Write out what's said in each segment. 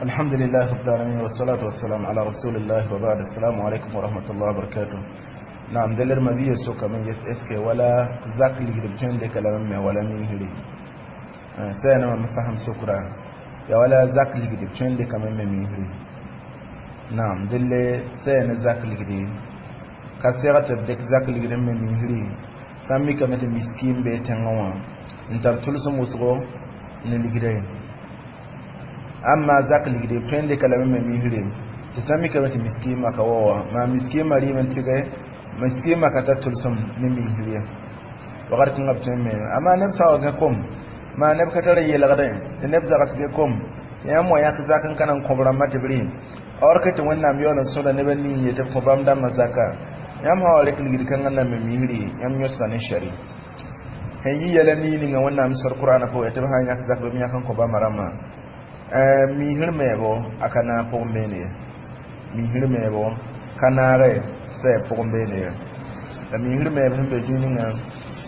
الحمد لله رب العالمين والصلاة والسلام على رسول الله وبعد. السلام عليكم ورحمة الله وبركاته. نعم دلر ما بيه سوكا من يس اسكي ولا زاك اللي قد ديك لما ولا ميهري سينا ما فهم سكرا يا ولا زاك اللي قد ديك من ميهري. نعم دل سينا زاك اللي قد كسيرة ديك زاك اللي قد من ميهري سامي كمت مسكين بيتنوا انتر تلسم وسغو نلقدين. Amma zak ligde tõe ka lame me misre tɩ sã mikame tɩ miskiimã ka wa wã maa miskiimã rɩɩm n tɩge miskiimã ka tar tʋlsem ne misr ye wakat kãngã b tõe n me amma neb sã wa gã kom maa neb ka tar n yelgdẽ tɩ neb zagsg kom tɩ yãmb wa yãk zak n ka na n kõ b rãmbã tɩ b rɩ or ke tɩ Wẽnnaam yaool n sõda neb n ning ye tɩ b kõ bãmb dãmbã zaka yãmb sã wa rek ligd kãngã n na me misri yãmb yõsga ne shari sẽn yi yɛla nii ninga Wẽnnaam sor Kur'anã pʋgẽ tɩ b sã n yãk zak bɩ b yãk n kõ bãmba rãmbã misr meebo a ka naag pʋgẽ beene ye misr meebo ka naage sɛ pʋgẽ beene ye la misr meeb sẽn be zĩig ninga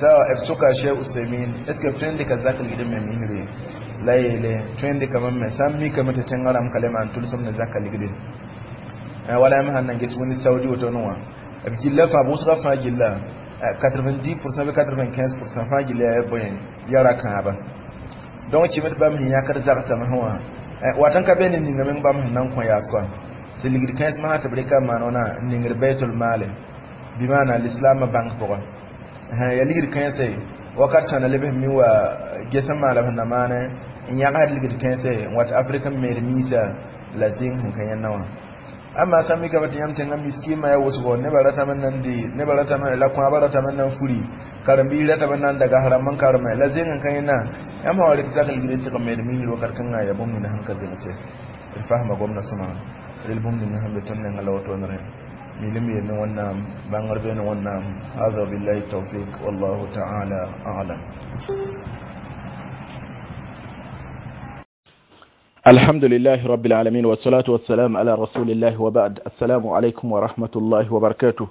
sa b soka Cheikh Usaimin est ce que b tõe n dɩka zak ligd n me misre la yeele tõe n dɩkame me sã n mikame tɩ tẽngã rãmb ka le maan tʋlsem ne zaka ligde wala yãmb sãn nan ges wẽnd Saudi woto wã b gilla fãa b wʋsga fãa gilla 90% bɩ 95% fãa gilla yaa bõe yara kãaba donc kɩme tɩ bãmb sẽn yãkd zagsame sẽ wã wat n ka be ne ninga meng bãmb sẽn na n kõ yaas kɔa tɩ ligd kãens masã tɩ b rɩka n maan wãna n ningd baitul maale bɩ maana lislaamã bãnk pʋgẽ ya ligd kãense wakat sãna leb sẽn mi wa ges n maan la b sẽn na maane n yãgsd ligd kãense n wat Afrika n meed miisa la zĩng sẽn ka yẽnna wã amma sã mikame tɩ yãmb tẽngã miskiimã yaa wʋsgo nebã ratame n nan dɩ nebã ratame la kõabã ratame n nan furi karen-biis ratame n nan dagas rãmb n kareme la zẽng n ka yẽnna yãmb sã wa rɩk zak ligd n tɩg n meed misr wakat kãngã yaa bũmb ninga sẽn ka zemse d fasma gomdã sõma rel bũmb ninga sẽn be tõnd nengã la wotone milim yel ne Wẽnnaam bãngr be ne Wẽnnaam. Hada billahi tawfiq wallahu ta'ala a'lam. الحمد لله رب العالمين والصلاة والسلام على رسول الله وبعد. السلام عليكم ورحمة الله وبركاته.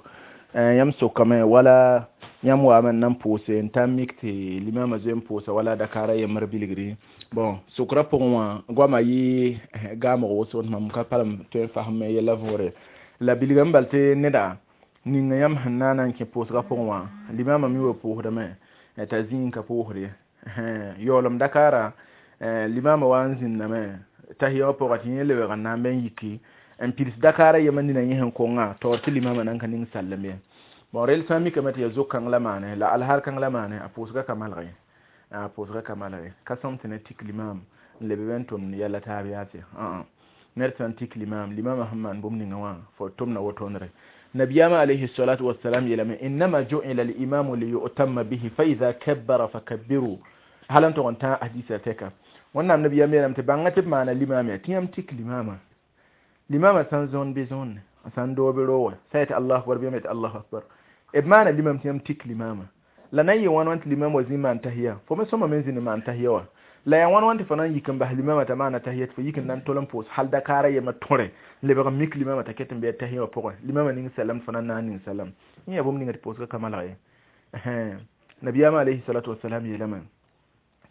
يمسو كما ولا يمو أمن نمبوسي انتاميك تي لما زين بوسا ولا دكارا يمر بلغري bon sokra pʋgẽ goamã yɩ gaamg wʋsg tɩ mam ka palem tõe n fasem yɛla võore la bilga n bal tɩ neda ninga yãmb sẽn na n kẽ pʋʋsgã pʋgẽ wã limamã mi wa pʋʋsdame t'a zĩig n ka pʋʋsd ye yaoolem dakaara limamã wa n zĩndame tahiya wã pʋgã tɩ yẽ lebg n na n bẽ n yiki n pids dakaara yemã nina yẽ sẽn kongã taoor tɩ limamã nan ka ning sallem ye bon rel sã n mikame tɩ yaa zo-kãng la maane la alhaal kãng la maane a pʋʋsgã ka malg ye a pʋʋsgã ka malg ye ka sõm tɩ ne tik limam n leb bẽ n tʋmd yɛla taab yaase ned sã n tik limam limamã sẽn maan bũmb ninga wã fo tʋmda wotonre nabiyama alayhi salatu wassalam yeelame innama ju'ila al-imamu liyu'tamma bihi fa idha kabbara fakabbiru hal n tʋg n tã hadisa tɛka Wẽnnaam nabiyam yeelame tɩ bãnga tɩ b maana limam yaa tɩ yãmb tik limamã limamã sã n zõond bɩ zõonde sã n doo bɩ rooga sã yetɩ allahu akbar bɩ yãmb yetɩ allahu akbar b maana limam tɩ yãmb tik limamã la na n yɩ wãn wãn tɩ limam wa zĩ maan tahiya fo me sõma me n zĩnd maan tahiya wã la yaa wãn wãn tɩ fo na n yik n bas limamã t'a maana tahiya tɩ fo yik n na n tol n pʋʋs hal dakaara yemã tõre n lebg n mik limamã t'a ket n bɩ a tahiya wã pʋgẽ limamã ning salam tɩ fo na n naag ning salam yẽ yaa bũmb ninga tɩ pʋʋsgã ka malg ye nabiyaamã alayhi salatu wasalam yeelame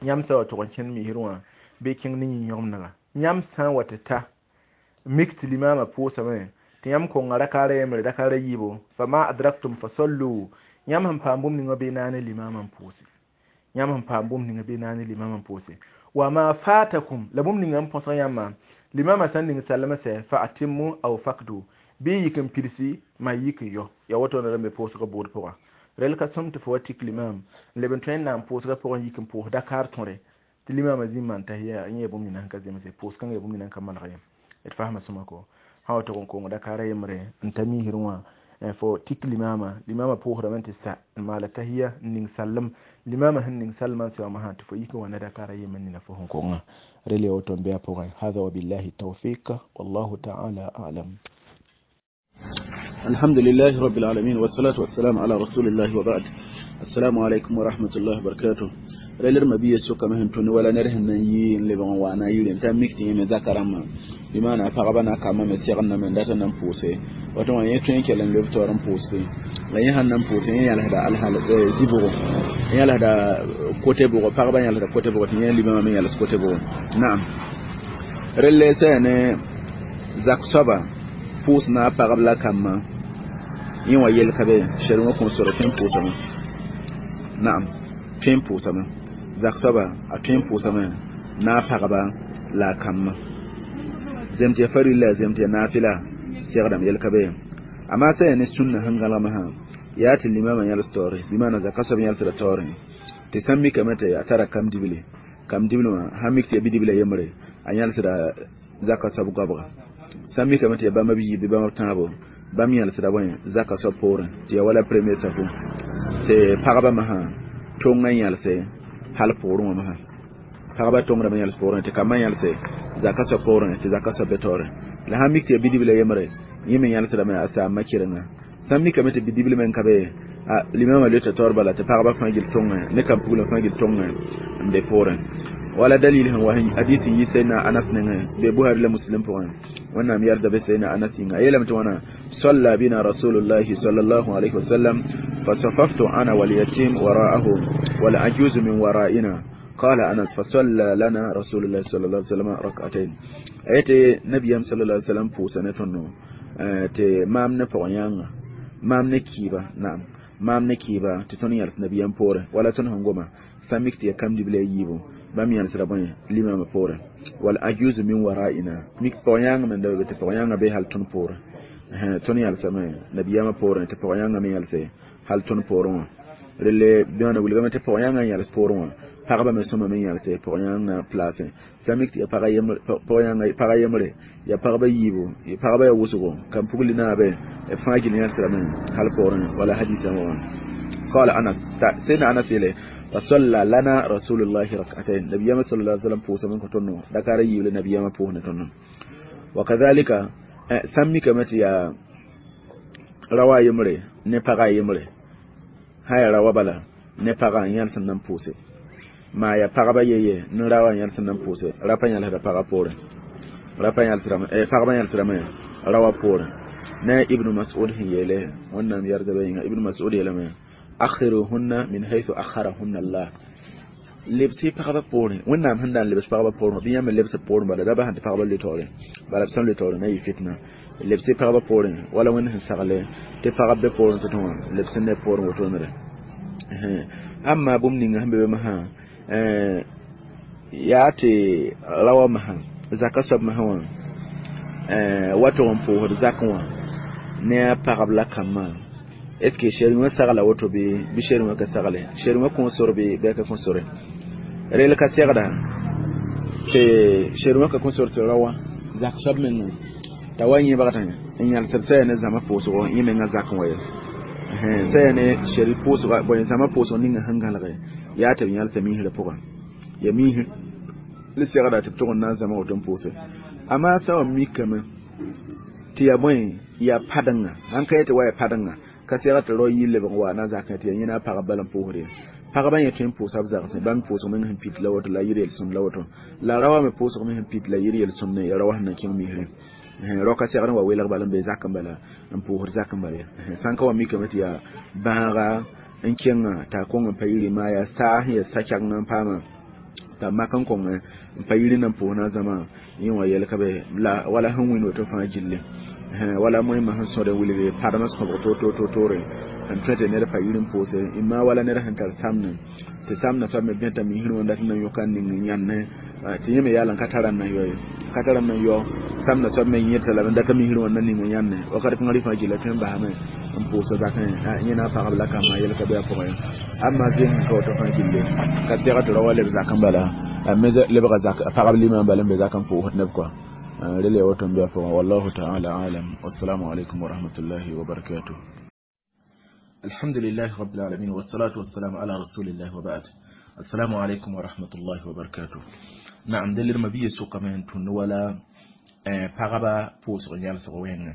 yãmb sã wa tʋg n kẽnd misr wã bɩ kẽng ne yĩn-yõgemdga yãmb sã n wa tɩ ta mik tɩ limamã pʋʋsame tɩ yãmb konga rakaara yembre dakaara yiibo fama adraktum fasallu yãmb sẽn paam bũmb ninga bɩ naane limamã n pʋʋse yãmb sẽn paam bũmb ninga bɩ naane limamã n pʋʋse wa ma fatakum la bũmb ninga n põsg yãmbã limamã sã n ning sallama sɛ fa atimmu aw fakdu bɩ yik n pidsi ma yik n yɔ ya woto na rãmbe pʋʋsgã buud pʋga rel ka sõm tɩ fo wa tik limam n leb n tõe n na n pʋʋsgã pʋgẽ yik n pʋʋs dakaar tõre tɩ limamã zĩ n maan tahiya yẽ yaa bũmb nina sẽn ka zemse pʋʋs kãngã yaa bũmb nina sẽn ka malg ye d fasma sõma ko sã wa tʋg n kong dakaara yembre n ta misr wã fo tik limamã limamã pʋʋsdame tɩ sa n maala tahiya n ning sallem limamã sẽn ning sallmã n sɛ wã masã tɩ fo yik n wa ne dakaara yemb nina fo sẽn kongã rel yaa woto n be a pʋgẽ hada wabillahi tawfiq wallahu ta'ala a'lam. الحمد لله رب العالمين والصلاة والسلام على رسول الله وبعد. السلام عليكم ورحمة الله وبركاته. Reler mabiya soka mehen tuni wala ner hen nan yi le bon wa na yiri ta mikti me zakarama bi mana pagaba na kama me segn na men data nan puse wato wa yeto yake lan le toran puse la yin han nan puse yin yalla da alhal zibugo yalla da kote bugo pagaba yalla da kote bugo tin limama men yalla kote bugo na'am. Relle sã ne zak soaba pʋʋs na a pagb la kambã yẽ wã yel ka be sher wã kõn sore tõe n pʋʋsame naam tõe n pʋʋsame zak soaba a tõe n pʋʋsame na a pagba la a kambã zem tɩ ya farilla zem tɩ ya nafila segdame yel ka be amaa sã yaa ne sũnna sẽn gãlgmã sã yaa tɩ limama yãls taoore bɩ maana zaka soab yãlsda taoorẽ tɩ sã n mikame tɩ a tara kam dibli kam dibli wã sã n mik tɩ ya bidibla yembre a yãlsda zaka soab goabga sã n mikame tɩ ya bãmb b yiib bɩ bãmb b tãabo bãmb yãlsda bõe zaka soab poorẽ tɩ ya wala premier safu tɩ pagba masã tong n yãlse hal poorẽ wã masã pagba tongdame yãls poorẽ tɩ kambã yãlse zaka soab poorẽ tɩ zaka soab be taoore la sã n mik tɩ ya bidibla yembre yẽ me yãlsdame a saamba kɩrenga sã n mikame tɩ bidibl me n ka be a limama loeta taoor bala tɩ pagba fãa gil tõngẽ ne kam puglã fãa gil tõngẽ n be poorẽ wala dalil sẽn wa hadis n yi sayyidina Anas nengẽ be Buhari la Muslim pʋgẽ wẽnnaam yɛrda be sayyidina Anas yĩnga a yeelame tɩ wãna صلى بنا رسول الله صلى الله عليه وسلم فصففت أنا واليتيم وراءه والعجوز من ورائنا قال أنس فصلى لنا رسول الله صلى الله عليه وسلم ركعتين ayete nabiyam sallallahu alaihi wasallam pʋʋsa ne tõndo tɩ maam ne pɔg-yãnga maam ne kiiba naam maam ne kiiba tɩ tõnd yãls nabiyam poorẽ wala tõnd sẽn goma sã mik tɩ ya kam dibla yiibu bãmb yãlsda bõe limama poorẽ wal ajuzu min waraina mik pɔg-yãngã me da be tɩ pɔg-yãngã be hal tõnd poorẽ tõnd yãlsame nabiyamã poorẽ tɩ pɔg-yãngã me yãlse hal tõnd poorẽ wã relle bãna wilgame tɩ pɔg-yãngã n yãls poorẽ wã pagba me sõma me yãlse pɔg-yãngã place sã mik tɩ ya pagã yembre ya pagba yiibu pagba ya wʋsgo kam pugli naabe fãa gil yãlsrame hal poorẽ wala hadisã wã قال أنس سيدنا أنس يلي فصلى لنا رسول الله ركعتين نبي صلى الله عليه وسلم بوسا من كتنو دكار يولي نبي ما بوهن تنو وكذلك سمي كمتي يا rawa yembre ne paga yembre haya rawa bala ne paga yãls n nan pʋʋse maa ya pagba yeye ne rawa yãls n nan pʋʋse rapa yãlsda paga poorẽ rapa yãlsdame pagba yãlsdame rawa poorẽ ne ibnu mas'ud sẽn yeele wẽnnaam yɛrdbã yĩnga ibnu mas'ud yeelame akhiruhunna min haythu akharahunna Allah lebsɩ pagba poorẽ wẽnnaam sẽn na n lebs pagba poorẽ bɩ yãmb lebs poorẽ bala da bas tɩ pagba le taoorẽ bala b sẽn le taoorẽ na yɩ fitna lebsɩ pagba poorẽ wala wẽnd sẽn sagle tɩ pagb be poorẽ tɩ wã lebs ne poorẽ wotonere amma bũmb ninga sẽn be be masã yaa tɩ rawa masã zaka soab masã wã wa tog n pʋʋsd zakẽ wã ne a pagb la kambã est ce que sher wã sagla woto bɩ bɩ sher wã ka sagle sher wã kõn sor bɩ bɩ ka kõn sore rel ka segda tɩ sher wã ka kõn sor tɩ rawa zak soab mengã t'a wa yẽbgdẽ n yãlsd sã yaa ne zãma pʋʋsgo yẽ mengã zakẽ wa ye sã yaa ne sher pʋʋsga bõe zãma pʋʋsg ninga sẽn gãlge yaa tɩ b yãlsa miisrã pʋgã ya miisr le segda tɩ b tʋg n na n zãma woto n pʋʋse amaa sã wa mikame tɩ ya bõe ya padenga sãn ka yetɩ wa ya padenga ka sega tɩ rao yɩ lebg wa na zakẽ tɩ ya yẽna pagb bala n pʋʋsd ye pagba yẽ tõe n pʋʋsa b zagsẽ bãmb pʋʋsg meng sẽn pit la woto la yɩr yel-sõmd la woto la ra wa me pʋʋsg me sẽn pit la yɩr yel-sõmd ne ya ra wa sẽn na kẽng misrẽ rao ka segd n wa welg bala n be zakẽ bala n pʋʋsd zakẽ bala ye sãn ka wa mikame tɩ yaa bãaga n kẽnga t'a kõng n pa yiri maa yaa saa sẽn ya sa-kɛgeng n paama t'a mak n kõng n pa yiri na n pʋʋs na zãma yẽ wã yɛl ka be la wala sẽn wĩnd woto fãa gilli wala moẽmã sẽn sõd n wilg padmã sõbg to-to-to-toore n tõe tɩ ned pa yir n pʋʋse imma wala ned sẽn tar samne tɩ samna soab me bẽta misrẽ wã dat n na yõka n ning n yãnne tɩ yẽ me yaa la n ka tara n na yɔ ye ka tara n na yɔ samna soab me yẽta lame n data misrẽ wã na ning n yãnne wakat kãngã rɩ fãa gilla tõe n basame n pʋʋsa zakẽ yẽ na pagb la kambã yɛl ka be a pʋgẽ amma zẽng sẽn ka woto fãa gilli ka seg tɩ ra wa leb zakẽ bala me lebga zak pagb limã bala n be zakẽ pʋʋsd neb kɔa rele woto n be a pʋgẽ wallahu taala alam wassalamu alaikum warahmatullahi wabarakatuh الحمد لله رب العالمين والصلاة والسلام على رسول الله وبعد السلام عليكم ورحمة الله وبركاته نعم دليل ما بيه سوق من تون ولا pagba pʋʋsg yãlsg wẽnga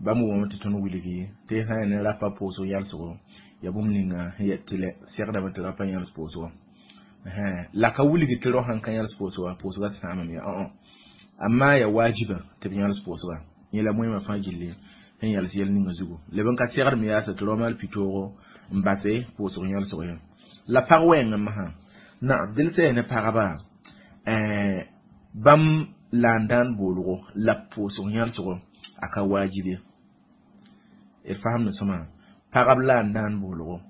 bãmb wʋmame tɩ tõnd wilgi tɩ sã yaa ne rapa pʋʋsg yãlsgo ya bũmb ninga sẽn yet tɩ lɛ segdame tɩ rapa yãls pʋʋsgo la ka wilgi tɩ rao sãn ka yãls pʋʋsga pʋʋsga sãamame ya amma ya wajiba tɩ b yãls pʋʋsga yẽ la moẽmã fãa gilli sẽn yãls yɛl ninga zugu leb n ka segdme yaasa tɩ rao maal pitoog n base pʋʋsg yãlsg ye la pag wɛɛngã masã naam dɩl sã yaa ne pagba bãmb La n dãan boolgo la b pʋʋsg yãlsgo a ka waajib ye. D fasemd sõma pagb la n dãan boolgo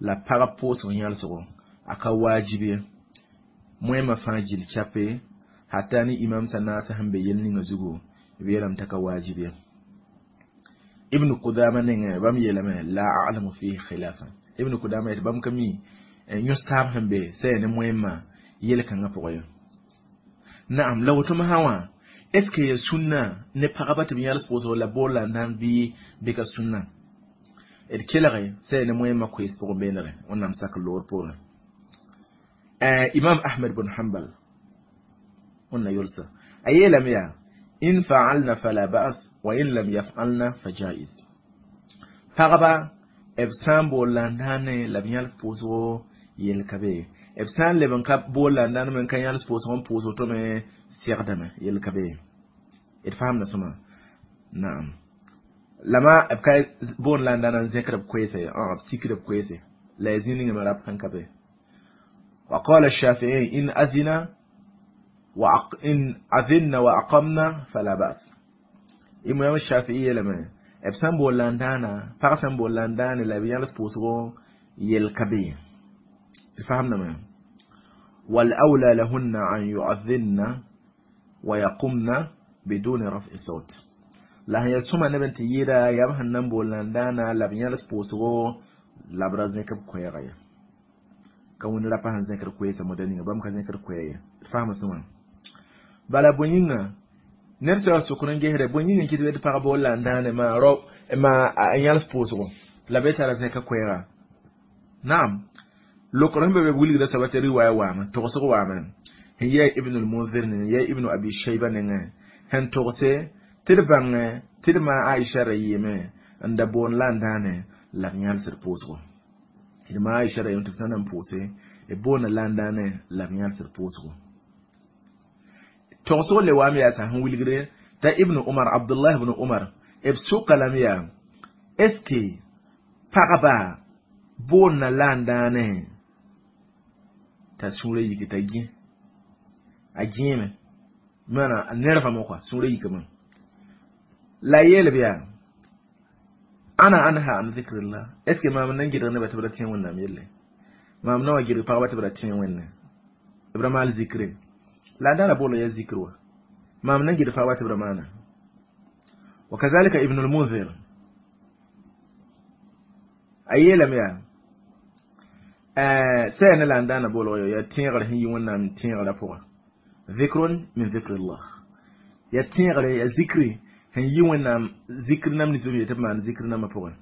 la pagb pʋʋsg yãlsgo a ka waajib ye. Moẽmã fãa gill chape hata ne imam sã naasã sẽn be yel ninga zugu b yeelame t'a ka waajib ye. Ibn Kudama nengẽ bãmb yeelame la a'lamu fihi khilafan. Ibn Kudama yetɩ bãmb ka mi yõs-taab sẽn be sã yaa ne moẽmã yel-kãngã pʋgẽ ye. Naam, la woto masã wã est ce que ya sũnna ne pagba tɩ b yãls pʋʋsg la bool la n dãan bɩ ka sũnna? D kelge sã yaa ne moẽmã koees pʋgẽ beenere Wẽnnaam sak loor poorẽ. Imam Ahmed bn Hanbal wẽnna yolsa a yeelame yaa in fa'alna fala ba'as wa in lam yaf'alna fa jaiz. Pagba b sã n bool la n dãane la b yãls pʋʋsgo yel ka be, b sã n leb n ka bool la n dãan me n ka yãls pʋʋsg n pʋʋs woto me segdame yel ka be. D fasemda sõma. Naam, lama b ka boond la n dãana n zẽkd b koeese, b sikd b koeese la ya zĩ ninga me rap sẽn ka be. وقال الشافعي إن أذن إن أذن وأقمنا فلا بأس. إمام الشافعي لما b sã n bool la n dãana pag sã n bool la n dãane la b yãls pʋʋsgo yel ka be. D fasemdame والأولى لهن أن يؤذن ويقمن بدون رفع صوت. La sẽn yaa sõma neb n tɩ yɩɩda yaa b sẽn na n bool la n dãana la b yãls pʋʋsgo la b ra zẽk b koɛɛga ye. Ka wẽnd rapa sẽn zẽkd koeesã moda ninga bãmb ka zẽkd koɛɛ ye. D fasma sõma. Bala bõe yĩnga ned sã sokr n gesde bõe yĩng n kɩt tɩ pag bool la n dãane maa rao maa a yãls pʋʋsgo la be tara zẽka koɛɛga. Naam, lokr sẽn be be wilgda soaba tɩ riwaaya waame togsg waame sẽn yɛa Ibn al-Munzir nengẽ yɛa Ibn Abi Shayba nengẽ sẽn togse tɩ d bãngẽ tɩ d maa Aisha ra yɩɩme n da boond la n dãane la b yãlsd pʋʋsgo. D maa Aisha ra yɩɩme tɩ b sã n na n pʋʋse b boonda la n dãane la b yãlsd pʋʋsgo. Togsg le waame yaa sã sẽn wilgre t'a Ibn Umar Abdullah ibn Umar b soka lame yaa est ce que pagba boonna la n dãane t'a sũurã yik t'a gẽ a gẽeme maana a nervame kɔa sũurã yikame la yeel b yaa ana anha an zikrillah est ce que maam nan gɩdg nebã tɩ b ra tẽ Wẽnnaam yelle maam na wa gɩdg pagba tɩ b ra tẽ Wẽnne b ra maal zikre la dãana bool ya zikr wa maam nan gɩdg pagba tɩ b ra maana. وكذلك ابن المنذر a yeelame yaa sã ne la n dãana boolg yaa tẽegr sẽn yi Wẽnnaam tẽegrã pʋga zikrun min zikrillah ya tẽegre ya zikri sẽn yi Wẽnnaam zikr nam nins b yetɩ b maan zikr nambã pʋgẽ.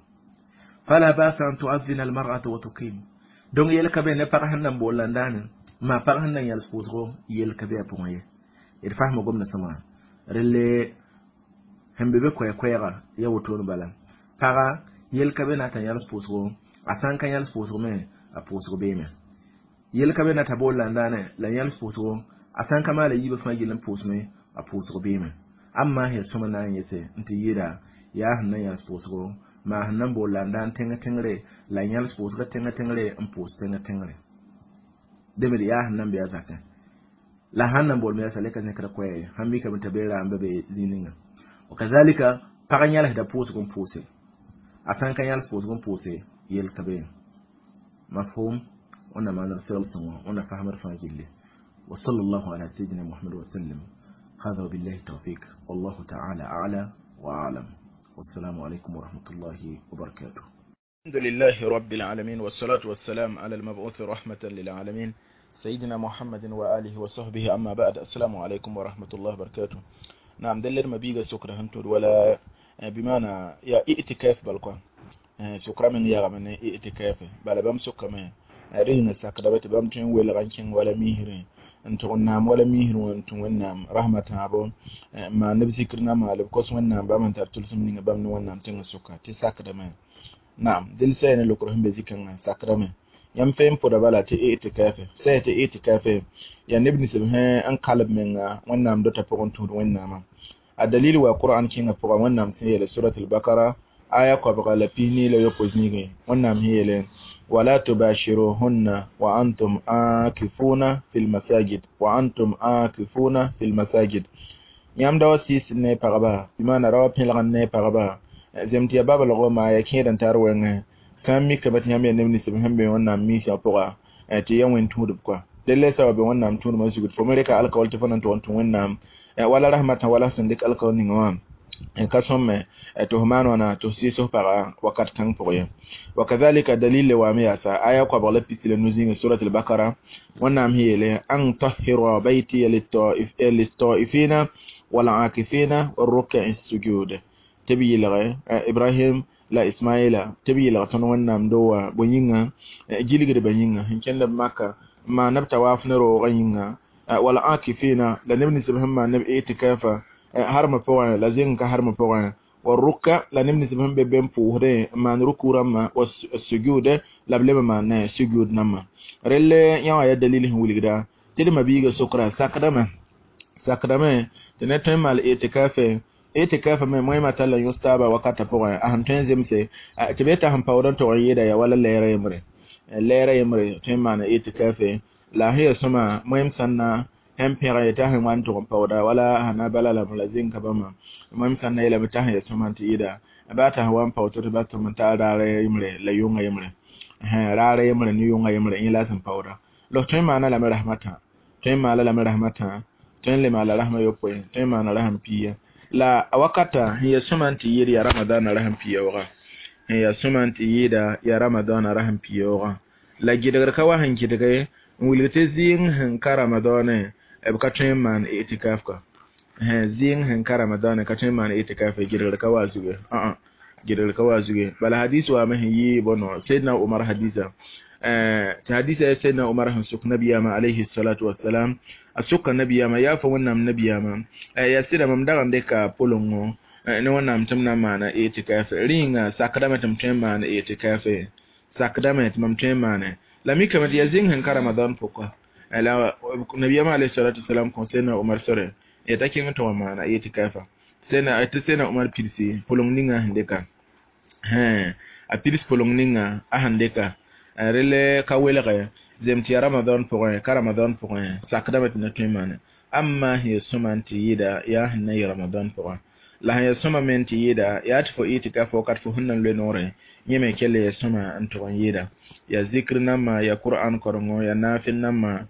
Fala basa an tuadhina almar'atu wa tuqim. Donc yel ka be ne pag sẽn na n bool la n dãane maa pag sẽn na n yãls pʋʋsgo yel ka be a pʋgẽ ye. D fasma gomda sõma relle sẽn be be koɛɛ-koɛɛga ya wotone bala paga yel ka be na t'a yãls pʋʋsgo a sã n ka yãls pʋʋsgo me a pʋʋsg beeme. Yel ka be na t'a bool la n dãane la yãls pʋʋsgo a sã n ka maala yiibã fãa gill n pʋʋsme a pʋʋsg beeme. Amma sẽn sõma na n yese n tɩ yɩɩda yaa sẽn na yãls pʋʋsgo maa sẽn na n bool la n dãan tẽng tẽngre la yãls pʋʋsga tẽng tẽngre n pʋʋs tẽng tẽngre dẽmd yaa sẽn na n be a zakẽ la sãn na n bool me yaa sa le ka zẽkra koɛɛ ye sãn mikame t'a be raam ba be zĩig ninga. وكذلك pag yãlsda pʋʋsg n pʋʋse a sã n ka yãls pʋʋsg n pʋʋse yel ka be. Mafhum wẽnnaam maan d segl sõngo wẽnna fasmd fãa gilli. وصلى الله على سيدنا محمد وسلم. هذا وبالله التوفيق والله تعالى أعلى وأعلم. والسلام عليكم ورحمة الله وبركاته. الحمد لله رب العالمين والصلاة والسلام على المبعوث رحمة للعالمين سيدنا محمد وآله وصحبه أما بعد. السلام عليكم ورحمة الله وبركاته. نعم دلر ما بيغا سكرة هنتور ولا بمعنى يا ائتكاف بالقوة سكرة من يا من ائتكاف بلا بام سكرة من رين سكرة بام تين ولا غنشين ولا ميهرين n tʋg n naam wala misr wã n tũ Wẽnnaam rasmã tãabo n maan neb zikr na maal b kos Wẽnnaam bãmb n tar tʋlsem ninga bãmb ne Wẽnnaam tẽngã sʋka tɩ sakdame. Naam dẽnd sã ne lokr sẽn be zĩ-kãngã sakdame yãmb fẽe n pʋda bala tɩ i'tikafe sã tɩ i'tikafe yaa neb nins b sẽn n kalb menga Wẽnnaam dota pʋgẽ tũud Wẽnnaamã. A dalil wa Qur'an kẽngã pʋga Wẽnnaam sẽn yeele surat al-Bakara aya koabga la 24 zĩigẽ Wẽnnaam sẽn yeele ولا تباشروهن وأنتم عاكفون في المساجد وأنتم عاكفون في المساجد. Yãmb da wa sɩɩs ne pagba, bɩ maana ra wa pẽlg ne pagba, zem tɩ yaa babalgo maa ya kẽed n tar wɛngẽ. Sã n mikame tɩ yãmb yaa neb nins b sẽn be Wẽnnaam miisã pʋga, tɩ ya wẽn tũudb koa. Delle sa wa be Wẽnnaam tũudmã zugd, fo me reka alkawal tɩ fo na n tʋg n tũ Wẽnnaam wala rahmatã, wala sẽn dɩk alkawal ninga wã ka sõmme tɩ f maan wãna tɩ f sɩɩs f paga wakat kãng pʋgẽ ye. Wakadhalika dalil le waame yaasa aya koabg la pis la nu zĩnga surat al-Bakara, Wẽnnaam sẽn yeele an tahira baytiya lit-taifina wal-aakifina war-ruk'i sujud, tɩ b yɩlge Ibrahim la Ismaila, tɩ b yɩlg tõnd Wẽnnaam do wã bõe yĩnga, gilgdbã yĩnga sẽn kẽnd b Maka n maan b tawaaf ne roogã yĩnga, wal-aakifina la neb nins b sẽn maan neb itikafa harmã pʋgẽ la zẽng ka harmã pʋgẽ, war-ruk'a la neb nins b sẽn be be n pʋʋsdẽ n maan ruku rãmbã, wa-sujud la b leb n maan sujud nambã. Relle yã wã yaa dalil sẽn wilgda tɩ d mabiiga sokra sakdame tɩ ned tõe n maal itikafe. Itikafa me moẽmã tall n yõs taaba wakatã pʋgẽ a sẽn tõe n zemse tɩ b yeta sẽn paood n tog n yɩɩda yaa wala lɛɛrã yembre tõe n maana itikafe. La sẽn yaa sõma moẽm sãn na sẽn pẽg yetɩ a sẽn wa n tʋg n paooda wala sã na bala lame la zẽng ka bãmba, moẽm sãn na yeelame t'a sẽn yaa sõma tɩ yɩɩda baa t'a sẽn wa n paood tɩ ba tʋm n taa raarã yembre la yʋngã yembre, raarã yembre ne yʋngã yembre yẽ la a sẽn paooda. La f tõe n maana lame rasmã tõe n maala lame rasmã tõe n le maala rasmã yopoe, tõe n maana rasm piiga. La a wakata sẽn yaa sõma tɩ yɩɩd yaa Ramadãna rasm piyoogã, sẽn yaa sõma tɩ yɩɩda yaa Ramadãna rasm piyoogã. La gɩdgr ka wa sẽn gɩdge n wilg tɩ zɩɩng sẽn ka Ramadãnẽ b ka tõe n maan itikaf ka. Zɩɩng sẽn ka Ramadãnẽ ka tõe n maan itikaf, gɩdgr ka wa zuge, gɩdgr ka wa zuge. Bala hadis waame sẽn yɩ bõno Sayyidina Umar hadisa, tɩ hadisa yaa Sayyidina Umar sẽn sok nabiyaamã alayhi salatu wassalam, a soka nabiyaamã yaa fa Wẽnnaam nabiyaamã, yaa sɩda mam dag n dɩka pʋlengõ ne Wẽnnaam tɩ m na n maana itikafe, rĩnga sakdame tɩ m tõe n maan itikafe, sakdame tɩ mam tõe n maane. La mikame tɩ yaa zĩng sẽn ka Ramadan pʋka. La nabiyaamã alayhi salatu wassalam kõ Sayyidina Umar sore t'a kẽng tɩ wa maana itikafa. Tɩ Sayyidina Umar pidsi pʋleng ninga sẽn dɩka, a pids pʋleng ninga a sẽn dɩka relle ka welge zem tɩ ya Ramadan pʋgẽ ka Ramadan pʋgẽ sakdame tɩ na tõe n maane. Amma sẽn yaa sõma tɩ yɩɩda yaa sẽn na yɩ Ramadan pʋgẽ, la sẽn yaa sõma me tɩ yɩɩda yaa tɩ fo itikafa wakat fo sẽn na n loe noorẽ, yẽ me kell yaa sõma n tʋg n yɩɩda yaa zikr nambã, yaa Qur'an korengo, yaa naafɩl nambã,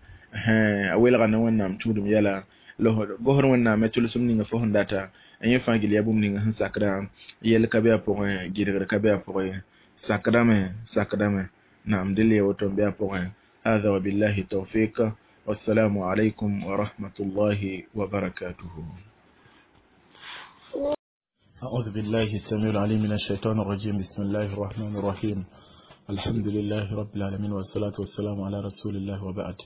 a welga ne Wẽnnaam tũudum yɛla, la gosd Wẽnnaam me tʋlsem ninga fo sẽn data yẽ fãa gil yaa bũmb ninga sẽn sakdã, yɛl ka be a pʋgẽ, gɩdgr ka be a pʋgẽ, sakdame. Naam, dɩl ya woto n be a pʋgẽ. هذا وبالله التوفيق، والسلام عليكم ورحمة الله وبركاته. أعوذ بالله السميع العليم من الشيطان الرجيم. بسم الله الرحمن الرحيم. الحمد لله رب العالمين، والصلاة والسلام على رسول الله، وبعد.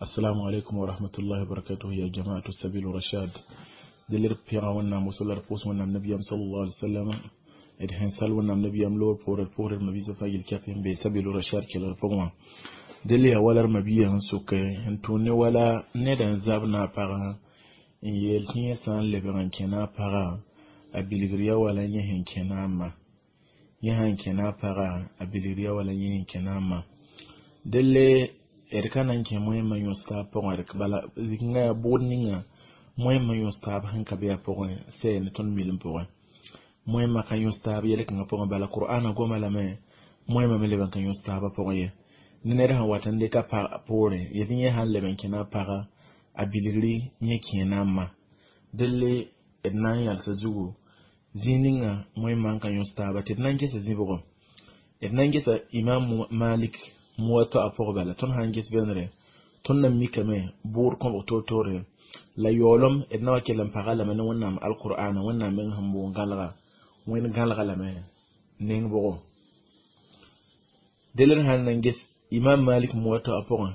السلام عليكم ورحمة الله وبركاته يا جماعة السبيل الرشاد. دلر بيغا ونام وصل رفوس ونام نبي صلى الله عليه وسلم إدهن سال ونام نبي لور بور مبي سفاجل كافين بي سبيل الرشاد كلا رفوما dele ya walar mabiya n soke n tʋ ne wala ned n zab na a pagã n yeel tɩ yẽ sã n lebg n kẽ na a pagã a bilgr ya wala yẽ sẽn kẽ na a ma, yẽ sãn kẽ na a pagã a bilgr ya wala yẽ sẽn kẽ na a ma. Delle d ka na n kẽ moẽmã yõs taab pʋgẽ, bala zikngã yaa bʋʋd ninga moẽmã yõs taab sẽn ka be a pʋgẽ sɛ ne tõnd milim pʋgẽ. Moẽmã ka yõs taab yɛl-kãngã pʋgẽ, bala Qur'ana goma lame moẽmã me leb n ka yõs taabã pʋgẽ ye. Ne ned sẽn wat n dɩka poorẽ yetɩ yẽ sãn leb n kẽ na a pagã a bilgri yẽ kẽ na a ma. Delle d na n yalsa zugu zĩig ninga moẽmã n ka yõs taaba tɩ d na n gesa zĩbgo, d na n gesa Imam Malik Muwatta a pʋgẽ. Bala tõnd sãn ges bẽnere tõnd na mikame bʋʋd kõbg toor-toore la yaoolem d na wa kell n paga lame ne Wẽnnaam alqur'ana, Wẽnnaam meng sẽn boond gãlega wẽnd gãlega lame neng bʋgo. Delle d sãn na n ges Imam Malik Muwatta a pʋgẽ,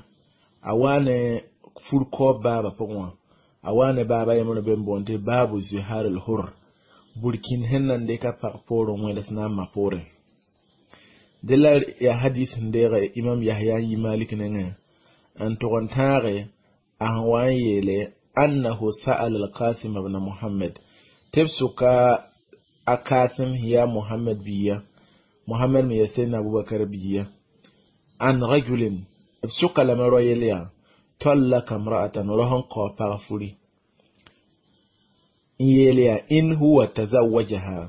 a waa ne fur kaoob baaba pʋgẽ wã, a waa ne baaba yembre be n boond tɩ baabu zihar al hur, burkin sẽn na n dɩka pag poorẽ wẽds na n ma poorẽ. Dẽ la yaa hadis sẽn deege Imam Yahya n yi Malik nengẽ n tʋg n tãage a sẽn wa n yeele annahu sa'ala al-Qasim ibn Muhammad, tɩ b sʋka a Qasim yaa Muhammad biya, Muhammad me yaa Sayyidina Abubakar biya, an rajulin b sʋka lame rao yel yaa tallaka imra'atan, rao sẽn kao pag furi. N yeel yaa in huwa tazawajaha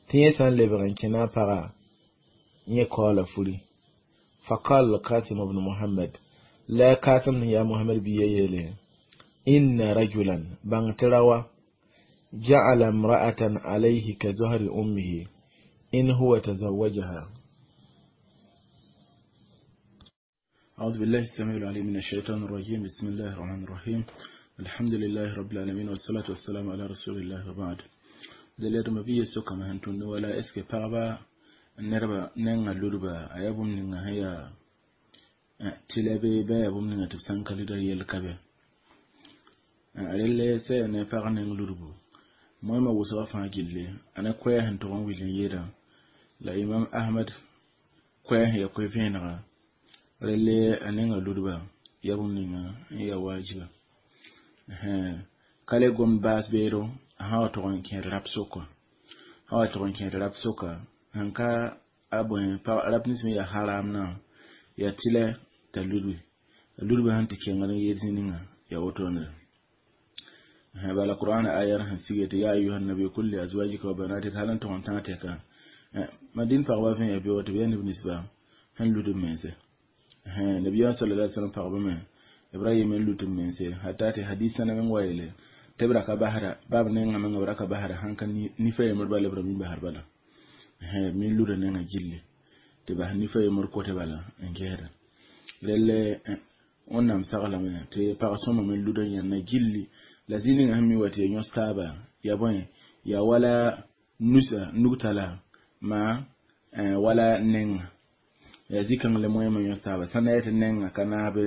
tɩ yẽ sã n lebg n kẽna a paga yẽ kaoola furi. Faqala al-Qasim ibn Muhammad la Qasim sẽn yaa Muhammad bia yeele inna rajulan bãng tɩ raoa ja'ala imra'atan alayhi ka zahri ummihi in huwa tazawajaha. أعوذ بالله السميع العليم من الشيطان الرجيم. بسم الله الرحمن الرحيم. الحمد لله رب العالمين والصلاة والسلام على رسول الله وبعد. Dalilr ma bi sokame sẽn tũnd wala est ce que pagba nẽrba nengã ludba a yaa bũmb ninga sẽn yaa tɩlɛ bee ba yaa bũmb ninga tɩ b sã n ka luda yell ka be. Relle sã yaa ne pag neng ludbu moẽmã wʋsgã fãa gilli a ne koɛɛg sẽn tʋg n will n yeelã la Imam Ahmad koɛɛg sẽn yaa koe-vẽenega relle a nengã ludba yaa bũmb ninga n yaa waajiba. Ka le gomd baas beero a sã wa tʋg n kẽed rap soka, sã wa tʋg n kẽed rap soka sẽn ka a bõe rap nins me yaa haramnã yaa tɩlɛ t'a ludbi a ludbã sẽn tɩ kengd n yeel zĩ ninga yaa wotone. Bala Qur'an ayar sẽn sige tɩ ya ayuha nabi kul li azwajika wa banatika hal n tʋg n tãag tɛka madin pagba vẽ yaa beoog tɩ b yaa neb ninsba sẽn lud b mense. Nabiyaam sallallahu alaihi wasallam pagba me Ibrahim n lut b mense hata tɩ hadis sãna meng wa yeele tɩ b ra ka basda bab nengã menga b ra ka basda sãn ka nifa yembr bala b ra mi basd bala b me luda nengã gilli tɩ bas nifa yembr kote bala n gesda. Relle Wẽnnaam saglame tɩ pag sõma me luda yãnna gilli la zĩ ninga sẽn mi wa tɩ ya yõs taaba ya bõe yaa wala nusa nugtala maa wala nenga yaa zĩ-kãng la moẽmã yõs taaba sã na yetɩ nenga ka naab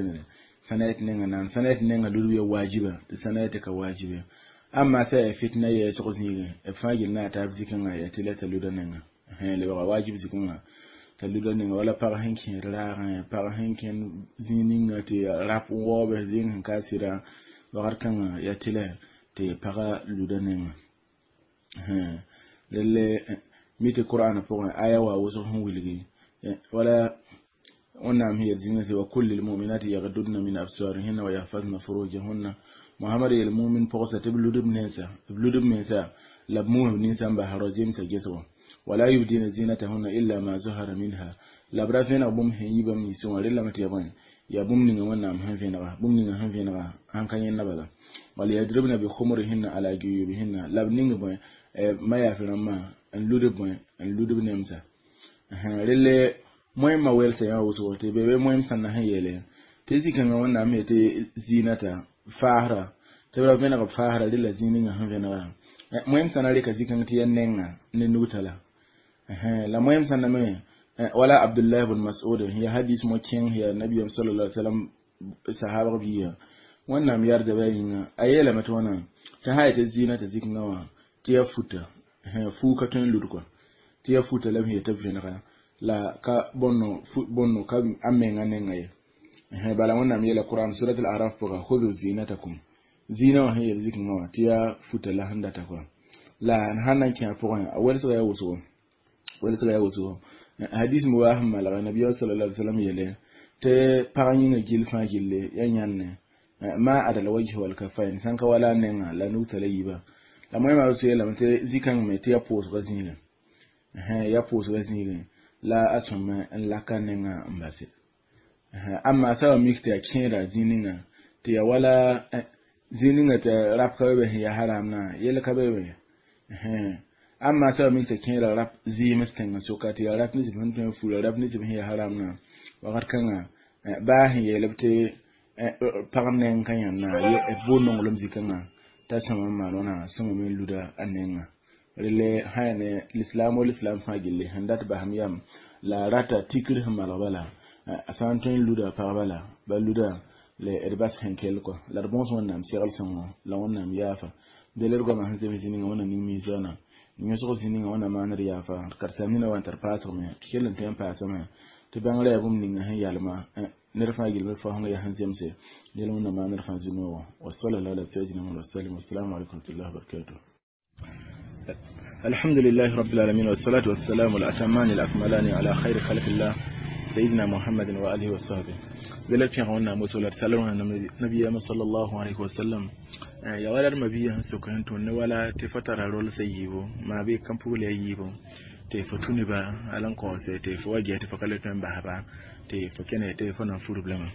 sã na yetɩ nenga naan sã na yetɩ nenga ludb ya waajiba tɩ sã na yetɩ ka waajibe. Amma sã yaa fitna yɛɛsg zĩigẽ b fãa gill na a taab zĩ-kãngã yaa tɩ la t'a luda nenga lebga waajib zĩ-kãngã t'a luda nenga wala pag sẽn kẽed raagẽ pag sẽn kẽnd zĩig ninga tɩ rap n waoobs zĩig sẽn ka sɩda wakat kãngã yaa tɩ la tɩ paga luda nenga. Relle mi tɩ Qur'an pʋgẽ aya wa wʋsg sẽn wilgi wala Wẽnnaam sẽn yel zĩnga tɩ wa kul lilmuminati yagdudna min absarihinna wa yahfazna furujahunna. Muhammad yel mumin pɔgsa tɩ b lud b nensa b lud b mensa la b muus b ninsã n bas rao zemsã gesgo wala yubdina zinatahunna illa ma zahara minha la b ra vẽneg bũmb sẽn yi bãmb ninsẽ wã rellame tɩ ya bõe yaa bũmb ninga Wẽnnaam sẽn vẽnega bũmb ninga sẽn vẽnega sãn ka yẽnda bala wal yadribna bi khumurihinna ala juyubihinna la b ning bõe ma yaaf rãmbã n lud bõe n lud b nemsa. Relle moẽmã welsa yã wʋsgo tɩ be be moẽm sãnna sẽn yeele tɩ zĩ-kãngã Wẽnnaam me tɩ zinata faasra tɩ b ra vẽneg b faasra rela zĩ ninga sẽn vẽnega moẽm sãna reka zĩ-kãng tɩ yaa nenga ne nugtala la moẽm sãnna me wala Abdullah ibn Mas'ud ya hadis mo kẽng ya nabiyam sallallahu alaihi wasallam sahaba biya Wẽnnaam yarda ba yĩnga a yeelame tɩ wãna tɩ sã yetɩ zinata zĩ-kãngã wã tɩ ya futa fuu ka tõe n lud kɔa tɩ ya futa la b sẽn yetɩ b vẽnega la ka bõnno ka a menga nenga ye. Bala Wẽnnaam yeela Qur'an surat al-Araf pʋga khudhu zinatakum zĩna wã sẽn yel zĩ-kãngã wã tɩ ya futa la sẽn data kɔa la sãn na n kẽ a pʋgẽ a welsga yaa wʋsgo welsga yaa wʋsgo. Hadis me waa sẽn malga nabiyaam sallallahu alaihi wasallam yeele tɩ pag yĩnga gill fãa gilli yaa yãnne ma adal wajh wal kafain sãn ka wala nenga la nugta la yiiba la moẽmã b yeelame tɩ zĩ-kãng me tɩ ya pʋʋsga zĩigẽ ya pʋʋsga zĩigẽ la a sõme n laka nenga n base. Amma sã wa mik tɩ ya kẽeda zĩ ninga tɩ ya wala zĩ ninga tɩ rap ka be be sẽn yaa haramnã yell ka be be. Amma sã wa mik tɩ kẽeda rap zɩɩms tẽngã soka tɩ yaa rap nins b sẽn tõe n fura rap nins b sẽn yaa haramnã wakat kãngã baa sẽn yeelb tɩ pag neng ka yãnna b boond nonglem zĩ-kãngã t'a sõma n maan wãna sõma me n luda a nenga. Relle sã yaa ne lislaam wa lislaam fãa gilli sẽn dat basem yam la a rata tikr sẽn malg bala a sã n tõe n luda pagba la ba luda la d bas sẽn kell kɔ la d bõos Wẽnnaam segl sõngo la Wẽnnaam yaafa del d goamã sẽn zems zĩ ninga Wẽnnaam ning miisaana yõsg zĩ ninga Wẽnnaam maan d yaafa d karsaam nina wa n tar paasgme tɩ kell n tõe n paasame tɩ bãngrã yaa bũmb ninga sẽn yalma ned fãa gill me faosẽngã yaa sẽn zemse yel Wẽnnaam maan d fãa zu-noogã wa sallallahu ala sayyidina Muhammad wa sallam. Wassalamu alaikum wa rahmatullahi wa barakatuh. الحمد لله رب العالمين والصلاة والسلام الأتمان الأكملان على خير خلق الله سيدنا محمد وآله وصحبه. ذلك في غونا مسؤولة سلام النبي صلى الله عليه وسلم. Ya wala d mabia sẽn sok sẽn tõnd ne wala tɩ fo tara rolsã yiibu maa bɩ kãn-pugl a yiibu tɩ fo tũ neba hal n kaoose tɩ fo wa ges tɩ fo ka le tõe n basba tɩ fo kẽne tɩ fo na n furb lame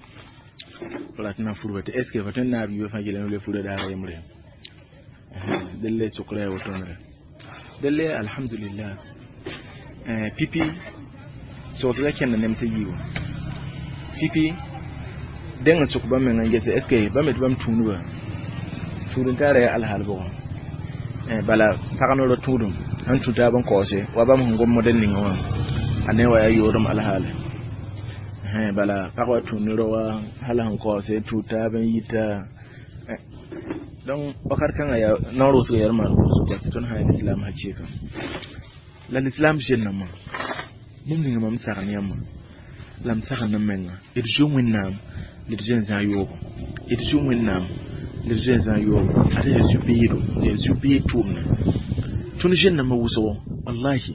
fo rat n na n furba tɩ est ce que fo tõe n naab yiibã fãa gilli n le fura daara yembre delle sokra ya wotone delle alhamdulillah pipi sogsga kẽnda nem tɩ yiibu pipi dẽng n sok bãmb mengã n gese est ce que bãmb tɩ bãmb tũudba tũud n taara yaa alhaal bʋgẽ bala pag noorã tũudum sẽn tũ taab n kaoose wa bãmb sẽn gom modɛl ninga wã a ne wa yaa yoodem alhaale bala pag wa tũ ne rao wã hal sẽn kaoose tũ taab n yita donc wakat kãngã yaa naoor wʋsga yaa d maan wʋsg tɩ tõnd sã yaa lislaam hakɩɩka la lislaam zellãmbã bũmb ninga mam sagn yãmbã la m sagend m menga d zoe Wẽnnaam la d zoe n zãag yoogo d zoe Wẽnnaam la d zoe n zãag yoogo ad yaa zu-beedo yaa zu-beed tʋʋmdã tõnd zellãmbã wʋsgo wallahi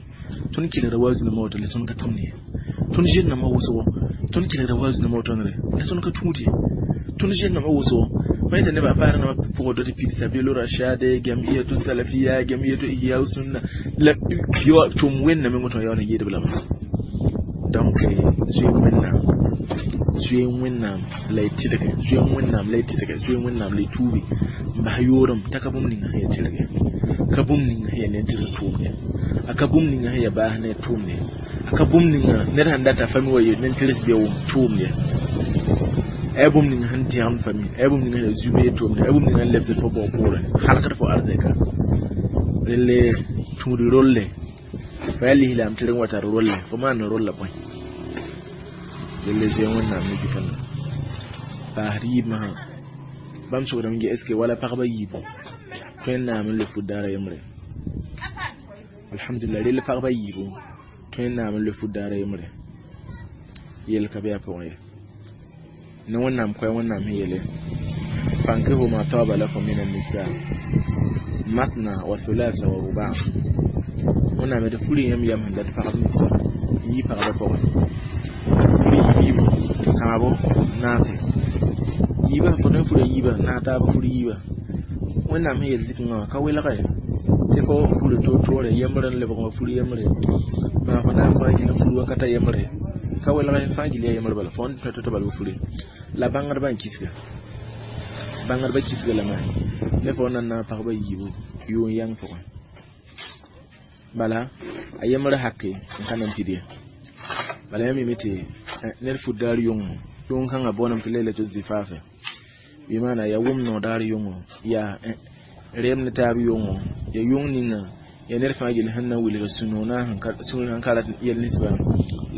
tõnd kelgda wazu nambã woto la tõnd ka tõmd ye tõnd zellãmbã wʋsgo tõnd kelgda wazu nambã wotone la tõnd ka tũud ye tõnd zellãmbã wʋsgo fa yeta nebã paar nambã pʋgd tɩ pid sabilo rashade jamiyatu salafiya jamiyatu ihya sunna la yo tʋm wẽnname wotõ yaool n yeedb lame donc zoe Wẽnnaam zoe Wẽnnaam la y tɩlge zoe Wẽnnaam la y tɩlge zoe Wẽnnaam la y tuubi n bas yoorem t'a ka bũmb ninga sẽn yaa tɩlge ka bũmb ninga sẽn yaa ned tɩlg tʋʋmd ye a ka bũmb ninga sẽn yaa baas ne tʋʋmd ye a ka bũmb ninga ned sẽn data fami wa ye nen-tɩrs beo tʋʋmd ye a yaa bũmb ninga sẽn dẽgemd fami a yaa bũmb ninga sẽn yaa zu-beed tʋʋmd a yaa bũmb ninga sẽn lebsd fo bʋg poorẽ halgd fo arzɛka relle tũud rolle fa yaa lislaam tɩrg n wa tar rolle fo maan rolla bõe relle zoe Wẽnnaam ne zikãngã paasd yiibmã sã bãmb sokdame ge est ce que wala pagba yiibu tõe n naam n le fut daara yembre alhamdulillah rell pagba yiibu tõe n naam n le fut daara yembre yel ka be a pʋgẽ ye ne Wẽnnaam koɛɛ Wẽnnaam sẽn yeele fankihu ma taba lakum min annisa masna wa thulatha wa ruba Wẽnnaam tɩ furi yãmb yam sẽn dat pagb ninsã n yi pagba pʋgẽ furi yiibu kãabo naase yiibã fo tõe n fura yiibã naas taab fur yiibã Wẽnnaam sẽn yel zikẽngã wã ka welge tɩ fo furi toor-toore yembr n lebg wã fur yembre maa fo na n fãa gil n fur wakata yembre ka welge fãa gil yaa yembr bala fo n tõe tɩ bal b furi la bãngdbã n kisga bãngdbã kisga lame ne fo n na n naag pagba yiibu yʋʋn yãng pʋgẽ bala a yembr hake n ka na n pid ye bala yãmb mime tɩ ned fut daar yʋngo yʋng kãngã booname tɩ lailatul zifaafe bɩ maana yaa wʋm no daar yʋngo yaa reem ne taab yʋngo yaa yʋng ninga yaa ned fãa gill sẽn na n wilg sũ-noonã sũur sẽn ka rat yel ninsbã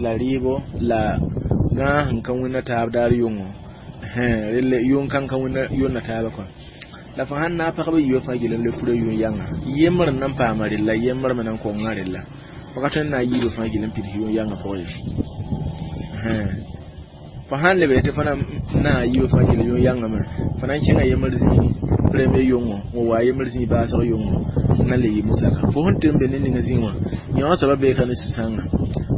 la rɩɩbo la gãag sẽn ka wẽnna taab daar yʋngo relle yʋng kãng ka wẽnna yʋnna taabã kɔa la fo sãn naag pagba yiibã fãa gill n le fura yʋng yãnga yembr n na n paama rella yembr me na n konga rella fo ka tõe n naag yiibã fãa gill n pids yʋng yãngã pʋgẽ ye fo sãn leb tɩ fo na naag yiibã fãa gill yʋng yãngame fo na n kẽnga yembr zĩig premier yʋngo n wa yembr zĩig baasg yʋngo n na le yɩ musaka fo sẽn tɩ n be ne ninga zĩig wã yõ soaba bee ka ne sũ-sãoongã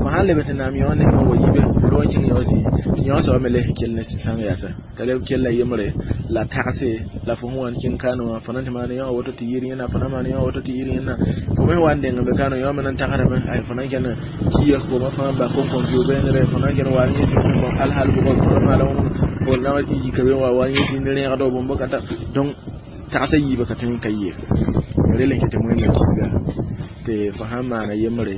fo sãn leb tɩ naam yõ nengã wa yibe ro n kẽng yõ zĩig yõ soaba me le sẽn kell ne sũ-sãoong yaasa t'a leb kella yembre la tagse la fo sẽn wa n kẽng kaane wã fo na n tɩ maan yõ woto tɩ yɩɩr yẽna fo na maan yõ woto tɩ yɩɩr yẽna fo me wa n deng n be kaane yõ me na n tagsdame ay fo na n kẽnd kiya koma fãa ba kõn-kõn vɩʋ bengre fo na n kẽnd wa n yẽ bõn alhal bʋgɔ fo na maala fo na wa yika be wa n yẽ zĩnd rẽegdo bũmb ka ta donc tagsã yiibã ka tõe n ka yee rel n ket tɩ wẽnnaam kisga tɩ fo sãn maana yembre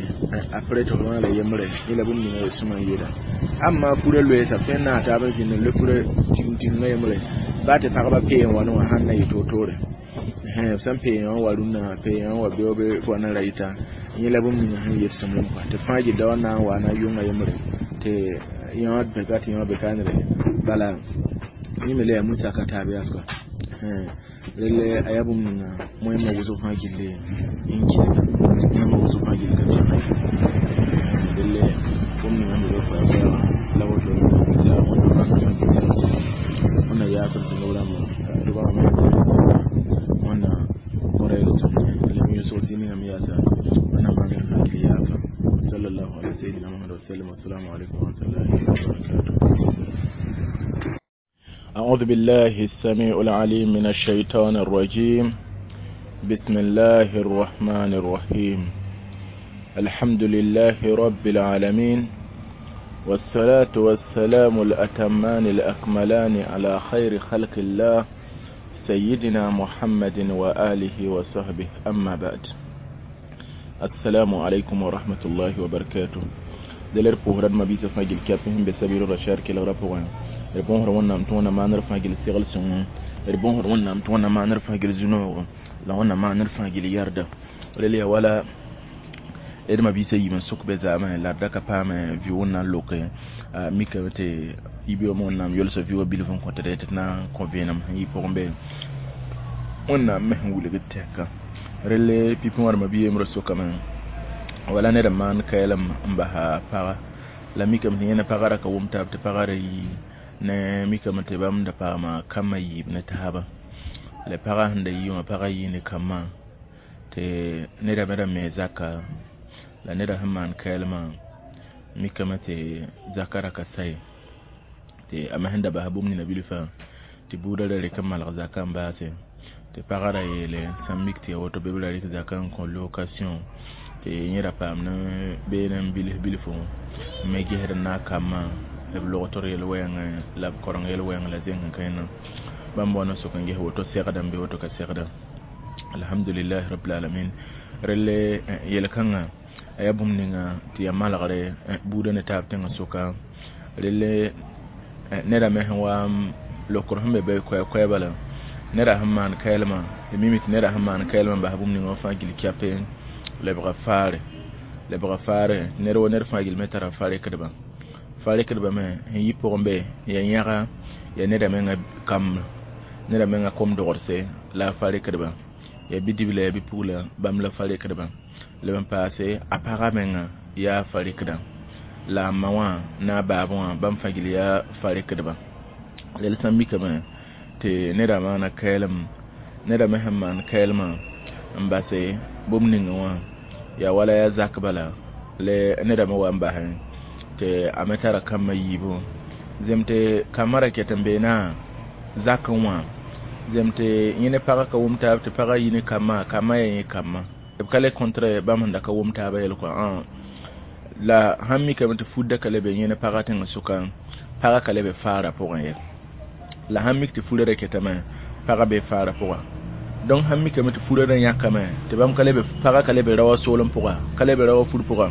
apres tɩ fo maana yembre yẽ la bũmb ninga sõma n yeela amma fura loeesa tõe n naag taab n zĩnd n le fura tigim-tigimã yembre baa tɩ pagba pee n wa ne wã sãn na yɩ toor-toore b sẽn pee wã wa rũnnã pee wã wa beoobe fo na ra yita yẽ la bũmb ninga sẽn yet sõmblem kɔa tɩ fãa gilda wa na n wa na yʋnga yembre tɩ yõ beka tɩ yõ be kaanre bala yẽ me la yaa musaka taab yaas kɔa relle a yaa bũmb ninga wẽnnaam wʋsg fãa gilli n kisga wẽnnaam wʋsg fãa gill ka tõe relle bũmb ninga sẽn be koɛɛ la woto wẽnna yaasem tɩ noorãmba rʋbgame wẽnna kõ-rɛɛg sõmde la m yʋsg zĩ ningame yaasa wẽnnaam bãngr fãa gill yaafa sallallahu ala sayyidina Muhammad wa sallam. Assalamu alaikum wa rahmatullahi wa barakatuh. أعوذ أعوذ بالله السميع العليم من الشيطان الرجيم. بسم الله الرحمن الرحيم. الحمد لله رب العالمين، والصلاة والسلام الأتمان الأكملان على خير خلق الله سيدنا محمد وآله وصحبه، أما بعد. السلام عليكم ورحمة الله وبركاته. Daler pʋʋsrã d mabiisã fãa gil kɛp sẽn be sabiil rashad kelgrã pʋgẽ. D bõosd Wẽnnaam tɩ Wẽnnaam maanr fãa gil segl sõngo, d bõosd Wẽnnaam tɩ Wẽnnaam maanr fãa gil zu-noogo, la Wẽnnaam maanr fãa gil yarda. Rel yaa wala d mabiisã yiib n sʋk be zaamẽ la d da ka paame vɩ Wẽnnaam loke mikame tɩ yibeoogã Wẽnnaam yolsa vɩ wã bilf n kõ tɩ tɩ d na n kõ vẽenem sẽn yɩ pʋgẽ be Wẽnnaam me sẽn wilgd tɛka. Relle pipi wã d mabi yembrã sokame wala ned n maan kaɛlem n basa paga la mikame tɩ yẽne paga ra ka wʋm taab tɩ paga ra yi ne mikame tɩ bãmb da paama kambã yiib ne taaba la paga sẽn da yi wã paga yii ne kambã tɩ neda me ra me zaka la neda sẽn maan kaɛlmã mikame tɩ zaka ra ka sa ye tɩ a me sẽn da basa bũmb nina bilfã tɩ buudã ra rɩk n malg zaka n baase tɩ paga ra yeele sãn mik tɩ ya woto bɩ b ra rɩk zaka n kõ location tɩ yẽ ra paam ne beene n bils bilfu n me gesd n naag kambã b logtr yel-wɛɛngẽ la b koreng yel-wɛɛng la zẽng n kẽna bãmb wa n sok n ges woto segda n be woto ka segda. Alhamdulillahi rabbil alamin. Relle yel-kãngã a yaa bũmb ninga tɩ yaa malgre buudã ne taab tẽngã sʋka. Relle neda me sẽn wa lokr sẽn be be koɛɛ-koɛɛba la neda sẽn maan kaɛlmã tɩ mimi tɩ neda sẽn maan kaɛlmã n bas bũmb ninga wã fãa gil kɛpe lebga faare, lebga faare. Ned wa ned fãa gil me tara fa-rekdbã, fa-rekdbã me sẽn yi pʋgẽ be yaa yãga yaa neda menga kamb, neda menga kom-dogdse la a fa-rekdbã, yaa bidibla yaa bipugla bãmb la fa-rekdbã. Leb n paase a pagã menga yaa fa-rekdã la a ma wã ne a baab wã bãmb fãa gil yaa fa-rekdbã. Rel sã n mikame tɩ neda maana kaɛlem, neda me sẽn maan kaɛlmã n base bũmb ninga wã yaa wala yaa zak bala le neda me wa n basẽ tɩ a me tara kambã yiibu zem tɩ kambã ra ket n beena zakẽ wã zem tɩ yẽ ne pagã ka wʋm taab tɩ pagã yi ne kambã, kambã yaa yẽ kambã b ka le kõtre bãmb sẽn da ka wʋm taabã yel kɔa. La sãn mikame tɩ fudda ka le be yẽ ne pagã tẽngã sʋka, pagã ka le be faarã pʋgẽ ye. La sãn mik tɩ furã ra ketame, pagã be faarã pʋga. Donc sãn mikame tɩ furã ra yãkame tɩ bãmb ka le be, pagã ka le be raoã soolem pʋga, ka le be raoã fur pʋga,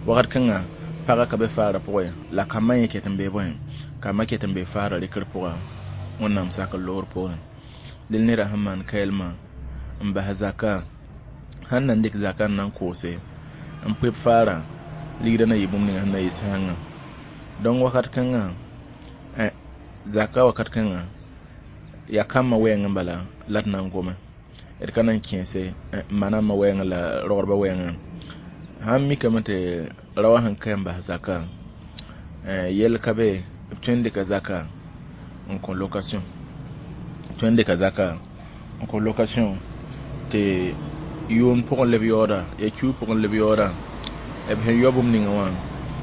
wakat kãnga pagã ka be faarã pʋgẽ la kambã yẽ ket n bee bõe, kambã ket n bee faarã rɩkr pʋga Wẽnnaam sak n loogr poorẽ. Dẽl neda sẽn maan kaɛlmã n bas zaka sãn na n dɩk zaka n na n koose n poeb faarã ligdã na yɩ bũmb ninga sẽn na yɩ sãangã. Donc wakat kãngã zaka wakat kãngã yaa kambã wɛɛngẽ bala la d na n gome d ka na n kẽese ma na ma wɛɛngẽ la rogdbã wɛɛngẽ. Sãn mikame tɩ raoã sẽn ka n bas zaka yɛl ka be b tõe n dɩka zaka n kõ location, tõe n dɩka zaka n kõ location tɩ yʋʋm pʋgẽ leb yaooda yaa kiu pʋgẽ leb yaooda b sẽn yao bũmb ninga wã.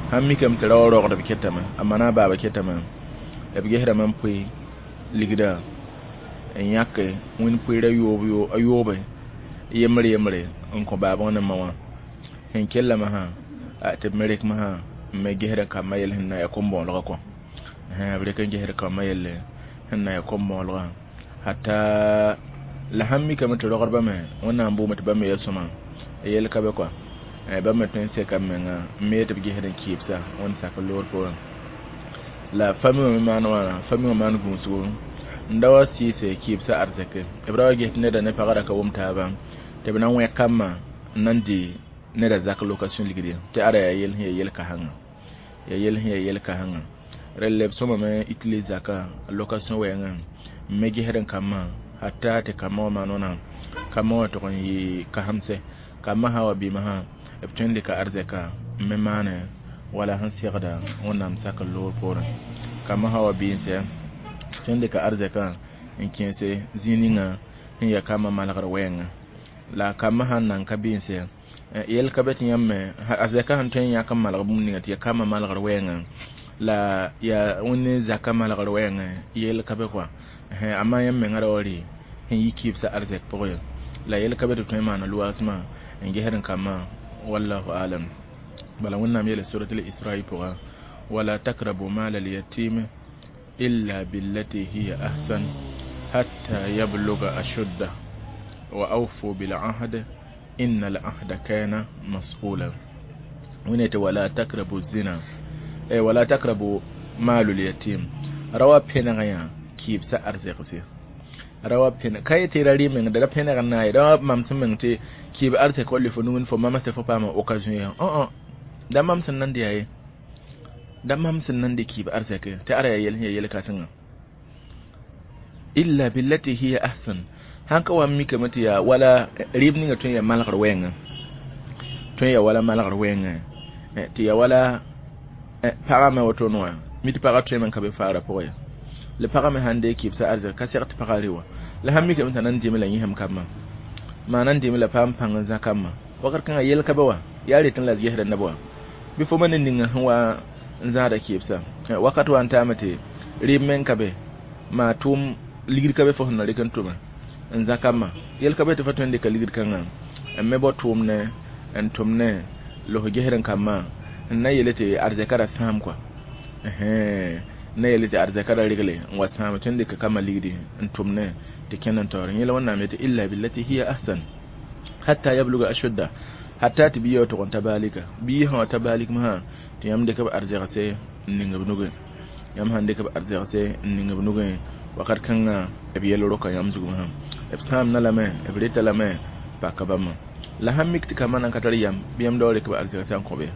Sãn mikame tɩ raoã rogdb ketame, a ma na a baaba ketame, b gesdame n pʋɩ ligda n yãke wẽnd pʋɩɩr a yoobe yembre yembre n kõ baab wã ne ma wã sẽn kellame sã tɩ b me rek masã n me gesd kambã yell sẽn na yaa kom-bõolegã kɔ. B rek n gesd kambã yelle sẽn na yaa kom-bõolegã hatta la sãn mikame tɩ rogdbã me Wẽnnaam boome tɩ bãmb me yaa sõma yell ka be kɔa bãmb me tõe n seka b menga n me tɩ b gesd n kɩɩbsa Wẽnd sak n loogr poorẽ. La fami wã me maan wãna, fami wã maan gũusgo n da wa sɩɩse kɩɩbsã arzɛke b ra wa ges tɩ neda ne pagã ra ka wʋm taaba tɩ b na n wẽ kambã n na n dɩ neda zak location ligd ye tɩ ara yaa yell sẽn yaa yel-kasengã, yaa yell sẽn yaa yel-kasengã. Relle b sõmame utilise zaka location wɛɛngẽ n me gesd n kambã hatta tɩ kambã wã maan wãna, kambã wã tʋg n yɩ kasemse kambã sã wa bɩ masã b tõe n dɩka arzɛka n me maane wala sẽn segda Wẽnnaam sak n loogr poorẽ. Kambã sã wa bɩ n sɛ tõe n dɩka arzɛkã n kẽese zĩig ninga sẽn yaa kambã malgr wɛɛngã. La kambã sãn nan ka bɩ n sɛ yɛl ka be tɩ yãmb me arzɛkã sẽn tõe n yãk n malg bũmb ninga tɩ yaa kambã malgr wɛɛngã la yaa wẽnd zaka malgr wɛɛngẽ yɛl ka be kɔa. Amma yãmb menga ra wa rɩ sẽn yi kɩɩbsã arzɛk pʋgẽ la yel ka be tɩ tõe n maana loaasmã n gesd n kambã wallahu alam. Bala Wẽnnaam yeela surat al-Isra'i pʋga wala takrabu mal al-yatim illa billati hiya ahsan hatta yabluga ashudda wa awfu bil ahd inna al ahda kana mas'ula. Wẽnna tɩ wala takrabu zina wala takrabu malul yatim rawa pẽneg yã kɩɩbsã arzɛkse rawa pẽneg ka yetɩ ra rɩ meng da ra pẽneg n naay ra mam sẽn meng tɩ kɩɩb arzɛk wa le fo nugẽ fo mams tɩ fo paama occasion ya da mam sẽn nan de yaa ye da mam sẽn nan de kɩɩb arzɛke tɩ ara yaa yel sẽn yaa yel-kãsengã illa billati hiya ahsan sãn ka wa n mikame tɩ yaa wala rɩɩb ninga tõe n yaa malgr wɛɛngã tõe n yaa wala malgr wɛɛngã tɩ yaa wala pagã me woto wã mi tɩ pagã tõeme n ka be faara pʋgẽ ya la pagã me sãn dee kɩɩbsã arzɛk ka seg tɩ pagã re wã la sãn mikame t'a nan dɩme la yĩsem kambã maa nan dɩme la paam pãng n zã kambã wakat kãngã yel ka be wa yaa retẽ la d gesda neb wã bɩ fo ma ne ninga sẽn wa n zãada kɩɩbsã wakat wa n taame tɩ rɩɩb meng ka be maa tʋʋm ligd ka be fo sẽn na rɩk n tʋme n zã kambã yel ka be tɩ fo tõe n dɩka ligd kãngã n me bao tʋʋm ne n tʋm ne los gesd n kambã n na yele tɩ arzɛka ra sãam kɔa n na yele tɩ arzɛka ra regle n wa sãam tõe n dɩka kambã ligdi n tʋm ne tɩ kẽnd n taoore yẽla Wẽnnaam yetɩ illa billati hiya ahsan hatta yabluga ashudda hatta tɩ bia wa tʋg n ta baalika bia sã wa ta baalik masã tɩ yãmb dɩk b arzɛgse n ning b nugẽ yãmb sãn dɩk b arzɛgse n ning b nugẽ wakat kãngã b yɛl roka yãmb zug masã b sãamna lame b reta lame paka bãmba la sãn mik tɩ kambã nan ka tar yam bɩ yãmb da wa rɩk b arzɛgsã n kõ be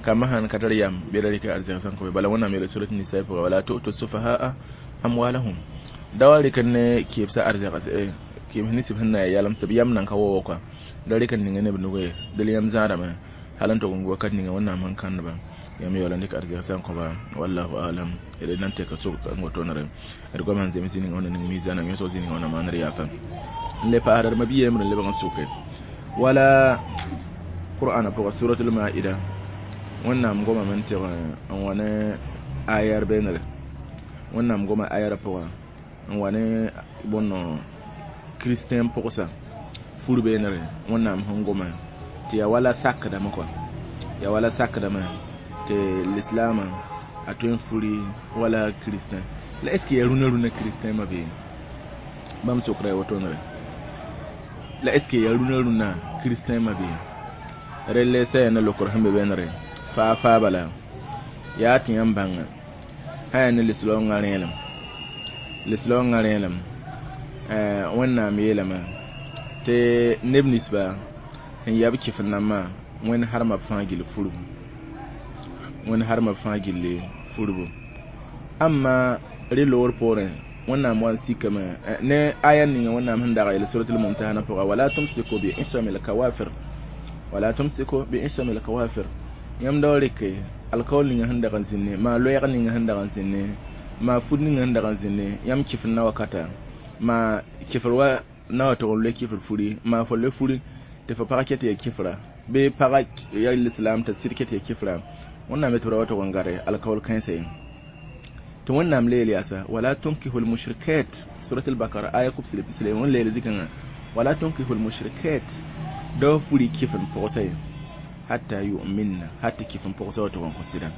kambã sãn ka tar yam bɩ ra rɩk arzɛgsã n kõ be bala Wẽnnaam yeela surat Nisa pʋga wala tu'tu sufahaa amwalahum da wa rɩk ne kɩɩbsã arzɛgse kɩɩbs ninsb sẽn na yaa yalem tɩ b yam nan ka wa kɔa da rɩk n ninga ne b nugẽ del yãmb zãadame hal n tʋg n wakat ninga Wẽnnaam sẽn kãndba yãmb yaoola n dɩk arzɛgsã n kõba wallahu alam. D nan tɛka sog n wotonere d goam sẽn zems zĩ-ninga wẽnna ning miizãna yõsg zĩ-ninga wẽnna maanr yaafa n le paasda d ma-bi yembr n lebg n soke wala qur'ana pʋga suratul maida Wẽnnaam gomame n tɩg n wa ne ayar beenere Wẽnnaam goma ayara pʋga n wa ne bõn kristɛn pʋgsa fur beenere Wẽnnaam sẽn goma tɩ yaa wala sakdame kɔa yaa wala sakdame tɩ lislaamã a tõe n furi wala kristɛn la est ce que yaa rũnã rũnã kristɛn ma bee bãmb sokra ya wotonere la est ce que yaa rũnã rũnã kristɛn ma bee relle sã yaa ne lokr sẽn be beenere faa faa bala yaa tɩ yãmb bãnga sã yaa ne lislaoongã rẽelem lislaoongã rẽelem Wẽnnaam yeelame tɩ neb ninsba sẽn yaa b kɩf nambã Wẽnd harma b fãa gill furbu Wẽnd harma b fãa gilli furbu amma rẽ loor poorẽ Wẽnnaam wa n sikame ne aya ninga Wẽnnaam sẽn dag yel suratul Mumtahana pʋga wala tumsiku bi isamil kawafir wala tumsiku bi isamil kawafir yãmb da wa rɩke alkaool ninga sẽn dag n zĩnne maa loɛɛg ninga sẽn dag n zĩnne maa fud ninga sẽn dag n zĩnne yãmb kɩf n na wakata maa kɩfr wa na wa tʋg n loe kɩfr furi maa fo loe furi tɩ fo pag ket ya kɩfra bɩ pagã ya lislaam t'a sɩd ket ya kɩfra Wẽnnaam yetɩ b ra wa tʋg n gare alkaool kãensa ye tɩ Wẽnnaam le yel yaasa wala tunkihu lmushrikat surat al-Bakara aya kʋbsle pisle wẽn leel zikãngã wala tunkihu lmushrikat dao furi kɩf n pʋgsa ye hatta yu'minna hatta kɩf n pʋgsa wa tʋg n kõ sɩda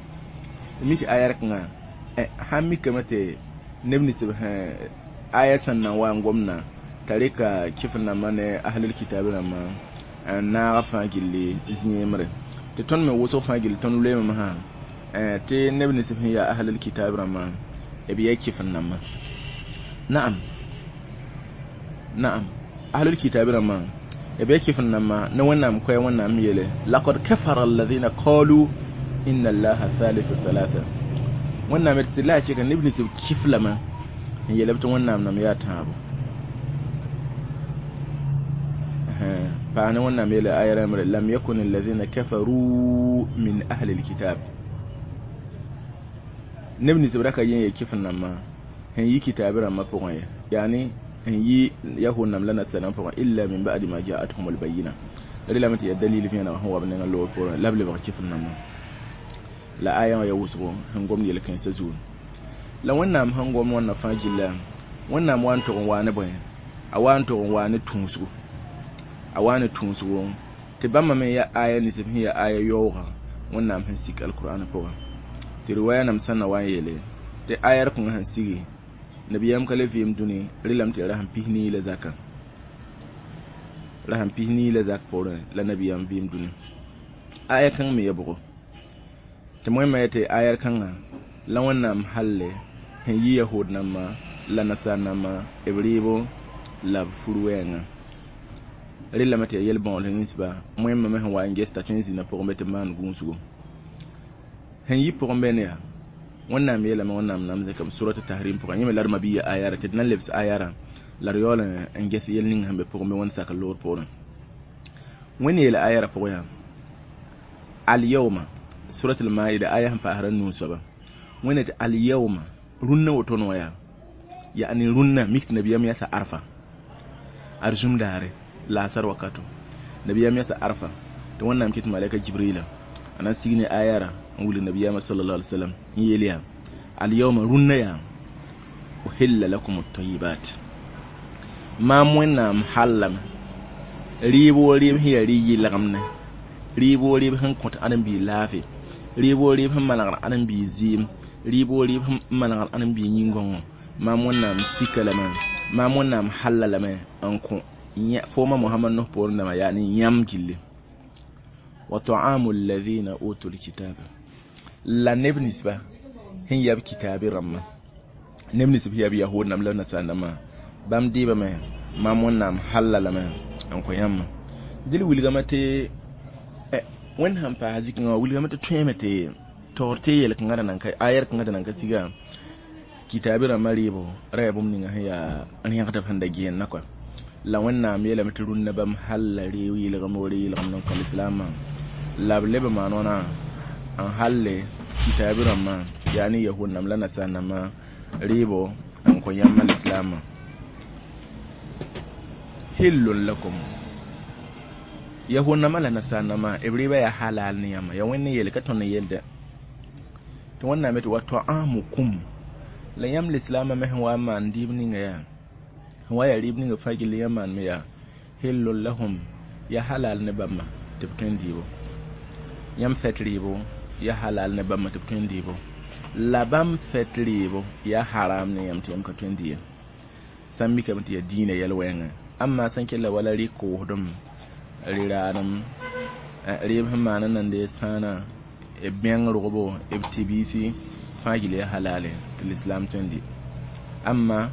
mi tɩ aya kãngã sãn mikame tɩ neb ninsb aya sẽn na n wa n gomdã t'a rɩka kɩf nambã ne ahlul kitab rãmbã n naag fãa gilli zĩyembre tɩ tõnd me wʋsg fãa gill tõnd loeeme masã tɩ neb ninsb sẽn yaa ahlul kitab rãmbã b yaa kɩf nambã naam naam ahlul kitab rãmbã b yaa kɩf nambã ne Wẽnnaam koɛɛ Wẽnnaam yeele laqad kafara alladhina qalu inna allaha thalithu thalatha Wẽnnaam tɩ la a cheka neb ninsb kɩf lame n yeelb tɩ Wẽnnaam nam yaa tãabo paana Wẽnnaam yeele aya rãmbre lam yakun alladhina kafaru min ahli alkitab neb ninsb ra ka yen ya kɩf nambã sẽn yi kitaab rãmbã pʋgẽ ye yaani sẽn yi yahud nam la nasarã pʋgẽ illa min ba'di ma ja'atuhum albayina relame tɩ yaa dalil vẽeneg sẽn wa b nengã loor poorẽ la b lebg kɩf nambã la aya wã ya wʋsgo sẽn gomd yel-kãensã zugu la Wẽnnaam sẽn gom wãnna fãa gilla Wẽnnaam wa n tog n waa ne bõe? A wa n tog n waa ne tũusgo, a waa ne tũusgo tɩ bãmba me ya aya nins b sẽn ya aya yaoogã Wẽnnaam sẽn sik alkur'an pʋgã. Tɩ riwaya nam sẽn na wa n yeele tɩ ayar kõŋa sẽn sigi nabiyaam ka le vɩɩm dũni rɩlame tɩ ya rasem 40 la zakã, rasem 40 la zak poorẽ la nabiyaam vɩɩm dũni. Aya kãng me ya bʋgo tɩ moẽmã yetɩ ayar kãngã la Wẽnnaam halle sẽn yi yahud nambã la nasaar nambã b rɩɩbo la b fur wɛɛngã. Rɩlame tɩ ya yel-bãoosd ninsba moẽmã me sẽn wa n ges t'a tõe n zĩnda pʋgẽ be tɩ maan gũusgo sẽn yi pʋgẽ be ne yaa Wẽnnaam yeelame. Wẽnnaam nam zẽkame surat tahrim pʋgã yẽ me la d mabiya ayara tɩ d na lebs ayara la d yaool n ges yel ning sẽn be pʋgẽ be wẽnd sak loor poorẽ. Wẽnd yeela ayara pʋgẽ yaa alyawma, surat al-maida aya sẽn paasd a nuu soaba. Wẽnd tɩ alyawma rũnnã woto wã yaa ya'ni rũnnã mik tɩ nabiyaam yasa arfa arzũm daare laasar wakato nabiyaam yasa arfa tɩ Wẽnnaam kɩt malɛka Jibrila a na sig ne ayara n wilg nabiyaamã sallallahu alaihi wasallam n yeel yaa alyawma rũnnã yaa uhilla lakum at-tayyibat maam Wẽnnaam hallame rɩɩb wo rɩɩb sẽn yaa rɩ-yɩlgemne, rɩɩb wo rɩɩb sẽn kõt ãdem-biig laafɩ, rɩɩb wo rɩɩb sẽn manegd ãdem-biig zɩɩm, rɩɩb wo rɩɩb sẽn manegd ãdem-biig yĩn-gõngo, maam Wẽnnaam sika lame, maam Wẽnnaam halla lame n kõ fooma Mohamad nos poorẽ dãmbã yaa ne yãmb gilli. Wa ta'amu alladhina utul kitaba la neb ninsba sẽn yab kitaabi rãmbã, neb nins sẽn yab yahud namba la nasaar nambã bãmb dɩɩbame maam Wẽnnaam halla lame n kõ yãmba. Dɩl wilgame tɩ Wẽnd sãn paas zikẽngã wã wilgame tɩ tõeme tɩ taoor tɩ yel-kãngã da nan ka ayar kãngã da nan ka siga kitaabi rãmbã rɩɩbo ra yaa bũmb ninga sẽn yaa rẽgdb sẽn da gẽenna kɔa la Wẽnnaam yeelame tɩ rũnnã bãmb halla rɩ-yɩlgem wo rɩ-yɩlgem n kõ lislaamã la b leb n maan wãna n halle kitaabi rãmbã yaa ne yahud namba la nasaar nambã rɩɩbo n kõ yãmba lislaamã. Hillun lakum yahud nambã la nasaar nambã b rɩɩbã yaa halal ne yãmba yaa Wẽnd n yeele ka tõnd n yeelde tɩ Wẽnnaam yetɩ wa ta'amukum la yãmb lislaamã me sẽn wa n maan dɩɩb ninga yaa sẽn wa yaa rɩɩb ninga fãa gilli yãmb maan me yaa hillun lahum ya halal ne bãmba tɩ b tõe n dɩɩbo, yãmb fɛt rɩɩbo ya halal ne bãmba tɩ b tõe n dɩɩbo, la bãmb fɛt rɩɩbo ya haram ne yãmb tɩ yãmb ka tõe n dɩ ye. Sã n mikame tɩ yaa diinã yɛl wɛɛngã amma sẽn kell wala rɩ-koosdem rɩ-raadem rɩɩb sẽn maan n nan sãana b bẽng rogbo b tɩ-biisi fãa gil yaa halale tɩ lislaam tõe n dɩ. Amma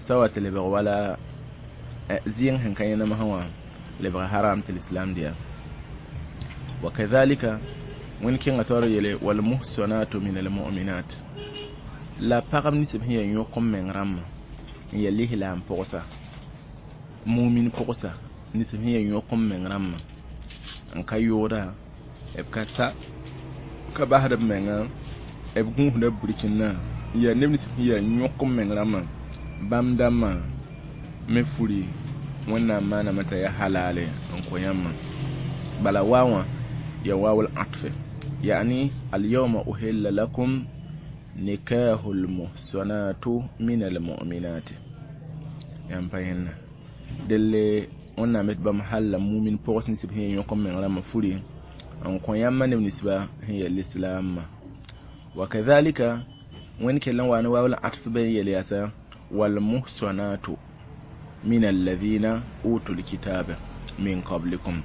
sã wa tɩ lebg wala zɩɩng sẽn ka yẽnem sã wã lebg haram tɩ lislaam dɩya. Wa kadhalika Wẽnd kẽnga taoor yeele walmuhsanatu min almu'minat la pagb nins b sẽn yaa yõk n meng rãmbã n yaa lislaam pʋgsa mumin pʋgsa nins sẽn yaa yõk n meng rãmbã n ka yooda b ka sa ka basd b menga b gũusda b burkĩndã n yaa neb nins sẽn yaa yõk n meng rãmbã bãmb dãmbã me furi Wẽnnaam maaname t'a yaa halale n kõ yãmbã. Bala wa wã ya wawul atfe yani alyawma uhilla lakum nikahul muhsanatu min almu'minat yãmb pa yẽnna delle Wẽnnaam yetɩ bãmb halla mumin pʋgs nins b sẽn yaa yõk n meng rãmbã furi n kõ yãmba neb ninsba sẽn yaa lislaamã. Wa kadhalika Wẽnd kell n wa ne wawul atf be n yeel yaasa walmuhsanatu min alladhina utul kitaba min qablikum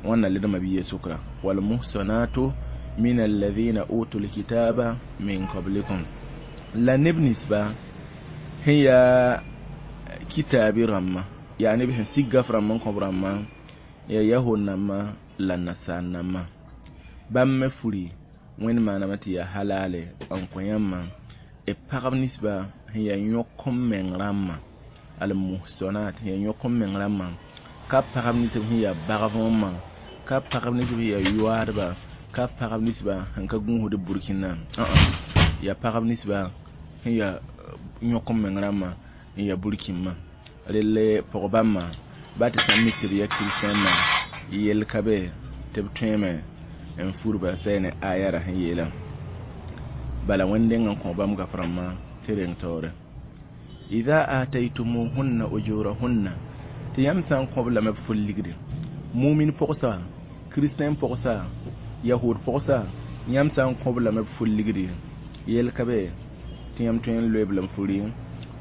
wãnna ledmã bɩ sʋkra walmuhsanatu min alladhina utul kitaba min qablikum la neb ninsba sẽn yaa kitaabi rãmbã yaa neb sẽn sig gaf rãmb n kõb rãmbã yaa yahud nambã la nasaar nambã bãmb me furi Wẽnd maaname tɩ yaa halale n kõ yãmbã b pagb ninsba sẽn yaa yõk n meng rãmbã almuhsanat sẽn yaa yõk n meng rãmbã ka pagb nins sẽn yaa bagvõmã ka pagb nins sẽn yaa yoaadba ka pagb ninsba sẽn ka gũusd burkĩndã yaa pagb ninsba sẽn yaa yõk n meng rãmbã n yaa burkĩmbã relle pʋg-bãmbã ba tɩ sã n mik tɩ b yaa kiristãandã yel ka be tɩ b tõeme n furba sɛ ne ayara sẽn yeelã bala Wẽnd deng n kõ bãmb gaf rãmbã tɩ reng taoore. Idha ataytumuhunna ujurahunna, tɩ yãmb sã n kõ-b lame b fʋl ligdi, mumin pʋgsa, kristɛn pʋgsa, yahud pʋgsa, yãmb sã n kõ-b lame b fʋl ligdi, yel ka be tɩ yãmb tõe n loe-b la m furi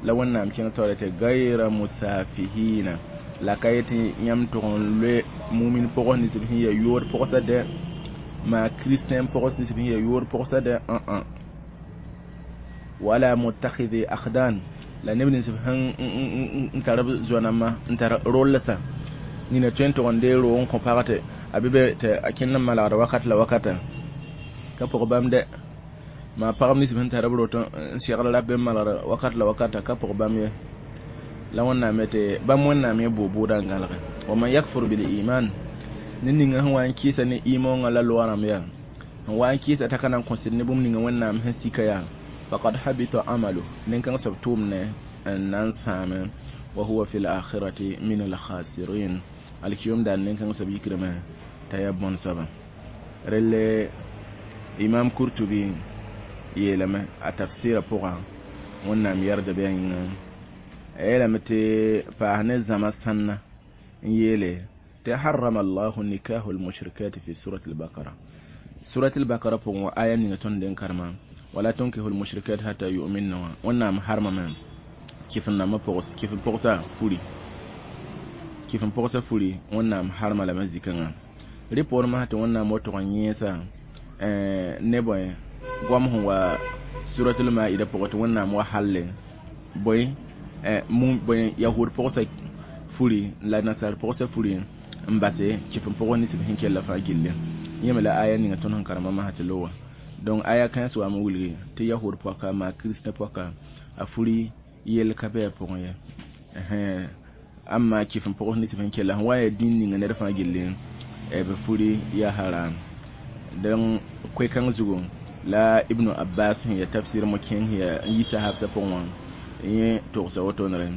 la Wẽnnaam kẽng taoore tɩ gayra musafihina, la ka yetɩ yãmb tʋg n loe mumin pʋgs nins b sẽn ya yood pʋgsa dɛ, maa kristɛn pʋgs nins b sẽn ya yood pʋgsa dɛ, ã-ã. Wala mutakhidhi akhdan, la neb nins b sẽn n tar b zoa-nambã n tar rollsã, nina tõe n tʋg n dee roog n kõ pag tɩ a be be tɩ a kẽnd n malgda wakat la wakata, ka pʋg bãmb dɛ. Maa pagb nins b sẽn tar b roto n segd rap be n malgd wakat la wakata, ka pʋg bãmb ye. La Wẽnnaam yetɩ bãmb Wẽnnaam yẽ bʋʋ-bʋʋdã n gãlge. Wa man yakfur bil iman, ned ninga sẽn wa n kɩɩsa ne imoongã la loa rãmb yaa, sẽn wa n kɩɩsa t'a ka na n kõsd ne bũmb ninga Wẽnnaam sẽn sika yaa, faqad habita amalu, nin-kãng soab tʋʋmdẽ n na n sãame, wa huwa fi l-akhirati min al-khasirin, alkiyom daar nin-kãng soab yikrame t'a yaa bõn soaba. Relle Imam Kurtubi yeelame a tafsɩɩrã pʋgã, Wẽnnaam yɛrda bɩ a yĩnga, a yeelame tɩ paas ne zãma sãnna n yeele tɩ harrama allahu nikahu almushrikati fi surat albakara. Surat albakara pʋgẽ wã, aya ninga tõnd den karema, wala tunkihu almushrikat hatta yu'minna wã, Wẽnnaam harmame kɩf n nambã pʋgs, kɩf n pʋgsa furi, kɩf n pʋgsa furi, Wẽnnaam harma lame zikãngã. Rɩ poorẽ masã tɩ Wẽnnaam wa tʋg n yẽesa ne bõe goam sẽn wa suratul maida pʋgẽ, tɩ Wẽnnaam wa halle bõe bõe yahud pʋgsa furi la nasar pʋgsa furi n base kɩf n pʋgs nins b sẽn kell fãa gilli. Yẽ me la aya ninga tõnd sẽn karema masã tɩ lowa. Donc aya kãens wame wilgi tɩ yahud pɔka maa kristẽ pɔka a furi yel ka bɩ a pʋgẽ ye, amma kɩf n pʋgs nins b sẽn kella sẽn wa ya dĩin ninga ned fãa gilli b furi yaa haram. Donc koe-kãng zugu la Ibnu Abbas sẽn ya tafsir mo-kẽng sẽn ya n yi sahabsã pʋgẽ wã, yẽ togsa wotonere.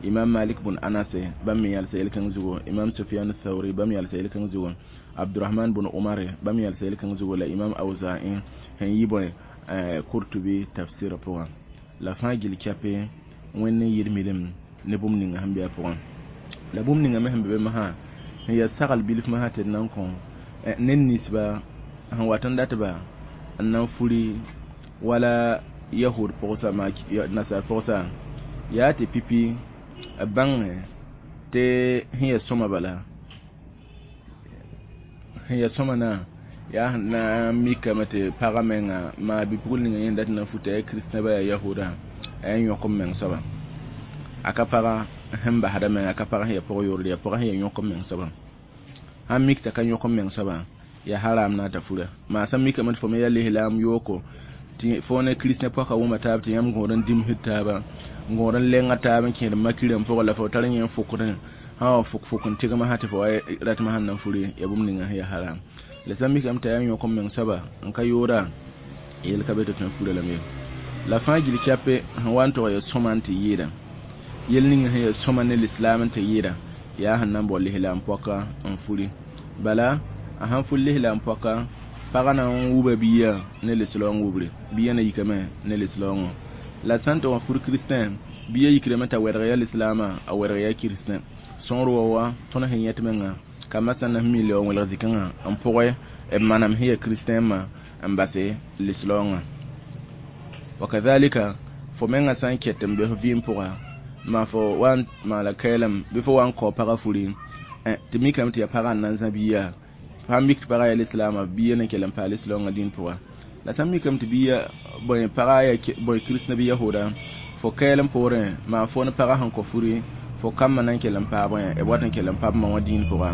Imam Malik bun Anas bãmb me yalsa yel-kãng zugu, Imam Sufyan Thauri bãmb yalsa yel-kãng zugu, Abdurahman bun Umar bãmb yalsa yel-kãng zugu, la Imam Awza'i sẽn yi bõe Kurtubi tafsirã pʋgã. La fãa gil kɛpe Wẽnd n yɩl milim ne bũmb ninga sẽn be a pʋgẽ, la bũmb ninga me sẽn be be masã sẽn yaa sagl bilf masã tɩ d na n kõ ned ninsba sẽn wat n datba n na n furi wala yahud pʋgsa maa nasar pʋgsa, yaa tɩ pipi b bãngẽ tɩ sẽn ya sõma, bala sẽn ya sõma na yaa sẽn na n mikame tɩ pagã menga maa bi-pugl ninga yẽ dat n na n futa, yaa kristẽ ba yaa yahuda, a yaa yõk m meng soaba, a ka pagã sẽn basda menga, a ka pagã sẽn ya pʋg-yoord, yaa pʋgã sẽn ya yõk m meng soaba. Sãn mik t'a ka yõk m meng soaba, yaa haram na t'a fura. Maa sãn mikame tɩ fo me yaa lislaam yooko, tɩ fo ne kristẽ pɔka wʋma taab, tɩ yãmb gõod n dimsd taaba, n gõod n lenga taab n kẽed makirã pʋgẽ, la fo tar yẽ n fʋkdẽ sã wa fʋk-fʋk n tɩgm sã tɩ fo wa ratmã sẽn na n furi, yaa bũmb ninga sẽn yaa haram. La sã n mikame t'a yaa yõk n meng soaba n ka yooda, yel ka be tɩ tõe n fura lame ye. La fãa gil kɛpe sẽn wa n tʋg ya sõma n tɩ yɩɩda, yel ning sẽn ya sõma ne lislaam n tɩ yɩɩda, yaa sẽn na n bao lislaam pɔka n furi. Bala a sãn furi lislaam pɔka, pagã na n wuba bia ne lislaoong wubre, bia na yikame ne lislaoongã. La sã n tɩ wa fur kristẽ, bia yikrame t'a wɛdg ya lislaamã, a wɛdg ya kristẽ. Sõor wa wa tõnd sẽn yẽt menga kambã sã n na mi leo n welg zikãngã n pʋgẽ b manam sẽn ya kristẽ ma n base lislaoongã. Wa kadhalika fo menga sã n ket n be f vɩɩm pʋga, maa fo wa n maala kaɛlem bɩ fo wa n kao pagã furi, tɩ mikame tɩ yaa pagã n na n zã bia, sãn mik tɩ pagã yaa lislaamã, bia na kell n paa lislaoongã dĩn pʋga. La sãn mikame tɩ bia bõe pagã yaa bõe kristẽ bɩ yahuda, fo kaɛlem poorẽ maa fo ne pagã sẽn kõ furi, fo kambã na n kell n paa bõe b wat n kell n pa b ma wã dĩin pʋga,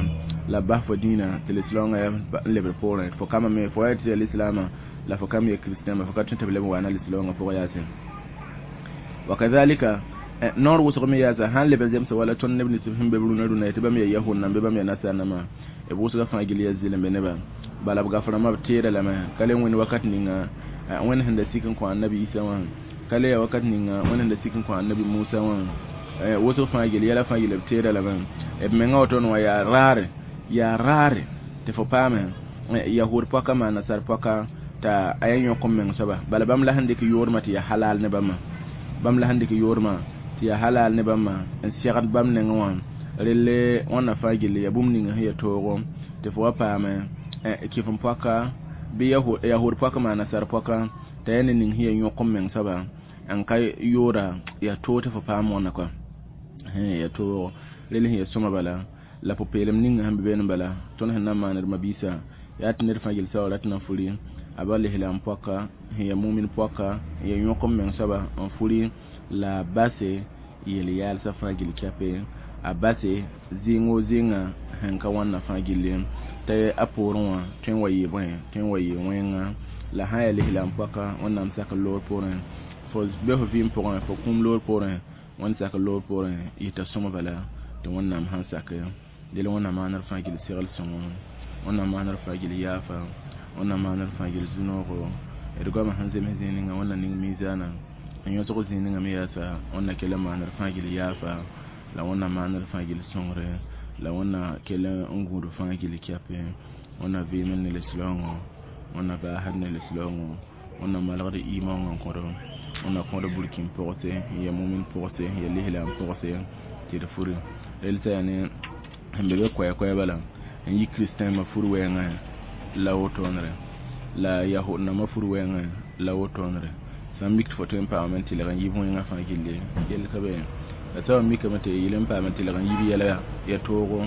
la b bas fo dĩinã tɩ lislaoongã yaa n lebd poorẽ. Fo kambã me fo wa tɩ yaa lislaamã la fo kam ya kristẽ ma, fo ka tõe tɩ b leb n waana lislaoongã pʋgã yaase. Wa kadhalika noor wʋsg me yaasa sãn leb n zemsa wala tõnd neb nins sẽn be b rũnã rũnã tɩ bãmb yaa yahud namba bãmb yaa nasar nambã, b wʋsga fãa gil yaa zɩlembe nebã. Bala b gafrãmbã b teeda lame ka le wẽnd wakat ninga Wẽnd sẽn da sik n kõ annabi Isa wã, ka le yaa wakat ninga Wẽnd sẽn da sik n kõ annabi Musa wã. Wʋsg fãa gil yɛla fãa gil b teeda lame b menga woto wã yaa raare, yaa raare tɩ fo paame yahud pɔka maa nasar pɔka t'a a yaa yõk n meng soaba. Bala bãmb la sẽn dɩk yoormã tɩ yaa halal ne bãmba, bãmb la sẽn dɩk yoormã tɩ Tɩ yaa halal ne bãmba n segd bãmb nengẽ wã relle wãnna fãa gilli yaa bũmb ning sẽn ya toogo tɩ fo wa paame kɩf n poaka bɩ yahud poaka maa nasar poaka t'a yaa ne ning sẽn ya yõk n meng soaba n ka yooda yaa toog tɩ fo paam wãnna kɔa yaa toogo rel sẽn ya sõma bala la pʋ-peelem ning sẽn be beene bala tõnd sẽn na n maan d mabiisã yaa tɩ ned fãa gil saoora tɩ na furi a ba lislaam poaka sẽn ya mumin poaka n ya yõk n meng soaba n furi la a base yel-yaalsã fãa gil kɛpe a base zɩɩng o zɩɩngã sẽn ka wãnna fãa gilli t'a a poorẽ wã tõe n wa yɩ bõe tõe n wa yɩ wẽnga la sã n yaa lislaam poaka wẽnnaam sak loor poorẽ fo be fo vɩɩm pʋgẽ fo kũum loor poorẽ wẽnd sak loor poorẽ yita sõma bala tɩ wẽnnaam sãn sake del wẽnnaam maanr fãa gil segl sõngo wẽnnaam maanr fãa gil yaafa wẽnnaam maanr fãa gil zu-noogo d goamã sẽn zems zĩig ninga wẽnna ning miizaana n yõsg zĩig ninga me yaasa wẽnna kell n maanr fãa gil yaafa la wẽnnaam maanr fãa gil sõngre la wẽnna kell n gũud fãa gil kɛpe wẽnna vɩɩm ne lislaoongõ wẽnna baasd ne lislaoongõ wẽnna malgd iimõngã n kõdo wẽnna kõd burkĩn pʋgse n ya mumin pʋgse n ya lislaam pʋgse tɩ d furi rel t'a yaa ne sẽn be be koɛɛ-koɛɛ bala n yi kristɛnmã fur wɛɛngã la wotone la yahud nãmbã fur wɛɛngã la wotone sã n mik tɩ fo tõe n paamame n tɩlg n yib wẽngã fãa gilli yell ka be la soab n mikame tɩ yel n paame tɩlg n yib yɛla ya toogo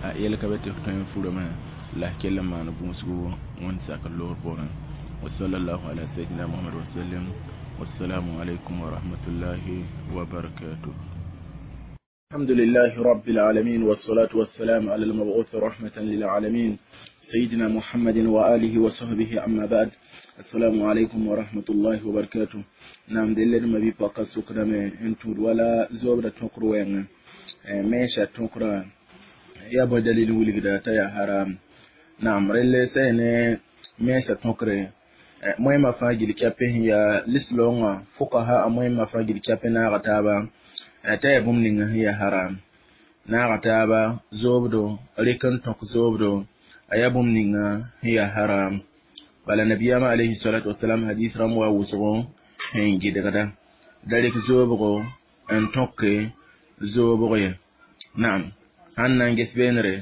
a yell ka be tɩ f tõe n furame la f kell n maan gũusgu wẽnd sak loor poorẽ. Wa sallallahu ala sayyidina Muhammad wa sallam. Wassalamu alaikum wa rahmatullahi wa barakatuh. الحمد لله رب العالمين والصلاة والسلام على المبعوث رحمة للعالمين سيدنا محمد وآله وصحبه أما بعد. السلام عليكم ورحمة الله وبركاته. نعم دلنا ما بيبقى سكرة انتو ولا زوبرة تنقر ميشا تنقر يا بدليل ولغدا يا حرام. نعم رلي سيني ميشا تنقر مهمة فاجل كابه يا لسلونغ فقهاء مهمة فاجل كابه ناغتابا t'a yaa bũmb ninga sẽn yaa haram naaga taaba zoobdo rɩk n tõk zoobdo a yaa bũmb ninga sẽn yaa haram bala nabiyaamã alayhi salatu wasalam hadis rãmb wa wʋsgo sẽn gɩdgda da rɩk zoobgo n tõke zoobg ye. Naam sãn na n ges beenre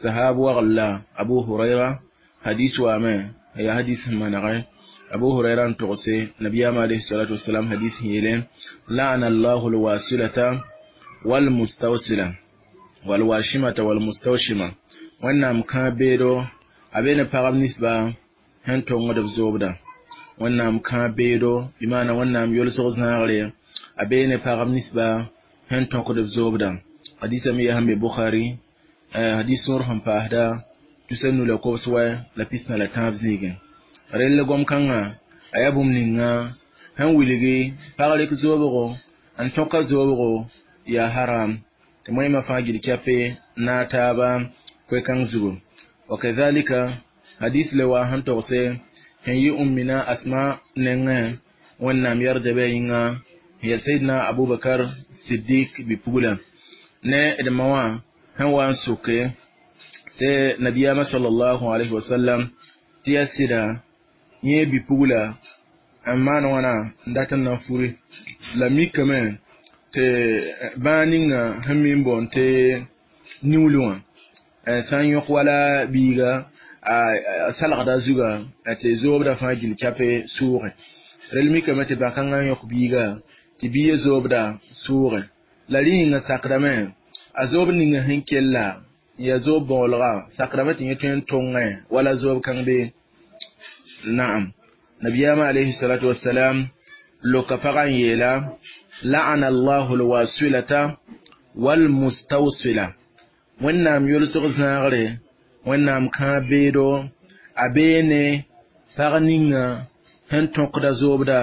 sahab wagl la Abu Hurayra hadis waame yaa hadis sẽn manegẽ Abu Hurayra n togse nabiyaamã alayhi salatu wasalam hadis sẽn yeele لعن الله الواصلة والمستوصلة والواشمة والمستوشمة wẽnnaam kãa beedo a be ne pagb ninsba sẽn tongd b zoobda wẽnnaam kãa beedo bɩ maana wẽnnaam yolsg zãagre a bee ne pagb ninsba sẽn tõkd b zoobda. Hadisa me yaa sẽn be Bukhari hadis sõor sẽn paasda tusa nu la kobs wɛ la pisna la tãab zĩigẽ. Rell gom-kãngã a yaa bũmb ninga sẽn wilgi pag rɩk zoobgo n tõka zoobgo yaa haram tɩ moẽmã fãa gil kɛpe naag taaba koe-kãng zugu. Wakadhalika hadis le wa sẽn togse sẽn yɩ ummina Asma nengẽ wẽnnaam yɛrda bɩ a yĩnga sẽn yaa Sayyidina Abubakar Siddiq bi-pugla ne d ma wã sẽn wa n soke tɩ nabiyaamã sallallahu alayhi wa sallam tɩ yaa sɩda yẽ bi-pugla n maan wãna n dat n na n furi la mikame tɩ bãag ninga sẽn mi n boond tɩ niuulu wã sã n yõk wala biiga a salgda zuga tɩ zoobda fãa gil kɛpe sʋʋgẽ rel mikame tɩ bã-kãngã n yõk biiga tɩ biigã zoobda sʋʋgẽ la rẽ yĩngã sakdame a zoob ninga sẽn kella n yaa zoob bõolga sakdame tɩ yẽ tõe n tõngẽ wala zoob kãng be. Naam nabiyaamã alayhi salatu wasalam loka pagã n yeela la'ana allahu alwasilata walmustawsila wẽnnaam yolsg zãagre wẽnnaam kãa beedo a bee ne pag ninga sẽn tõkda zoobda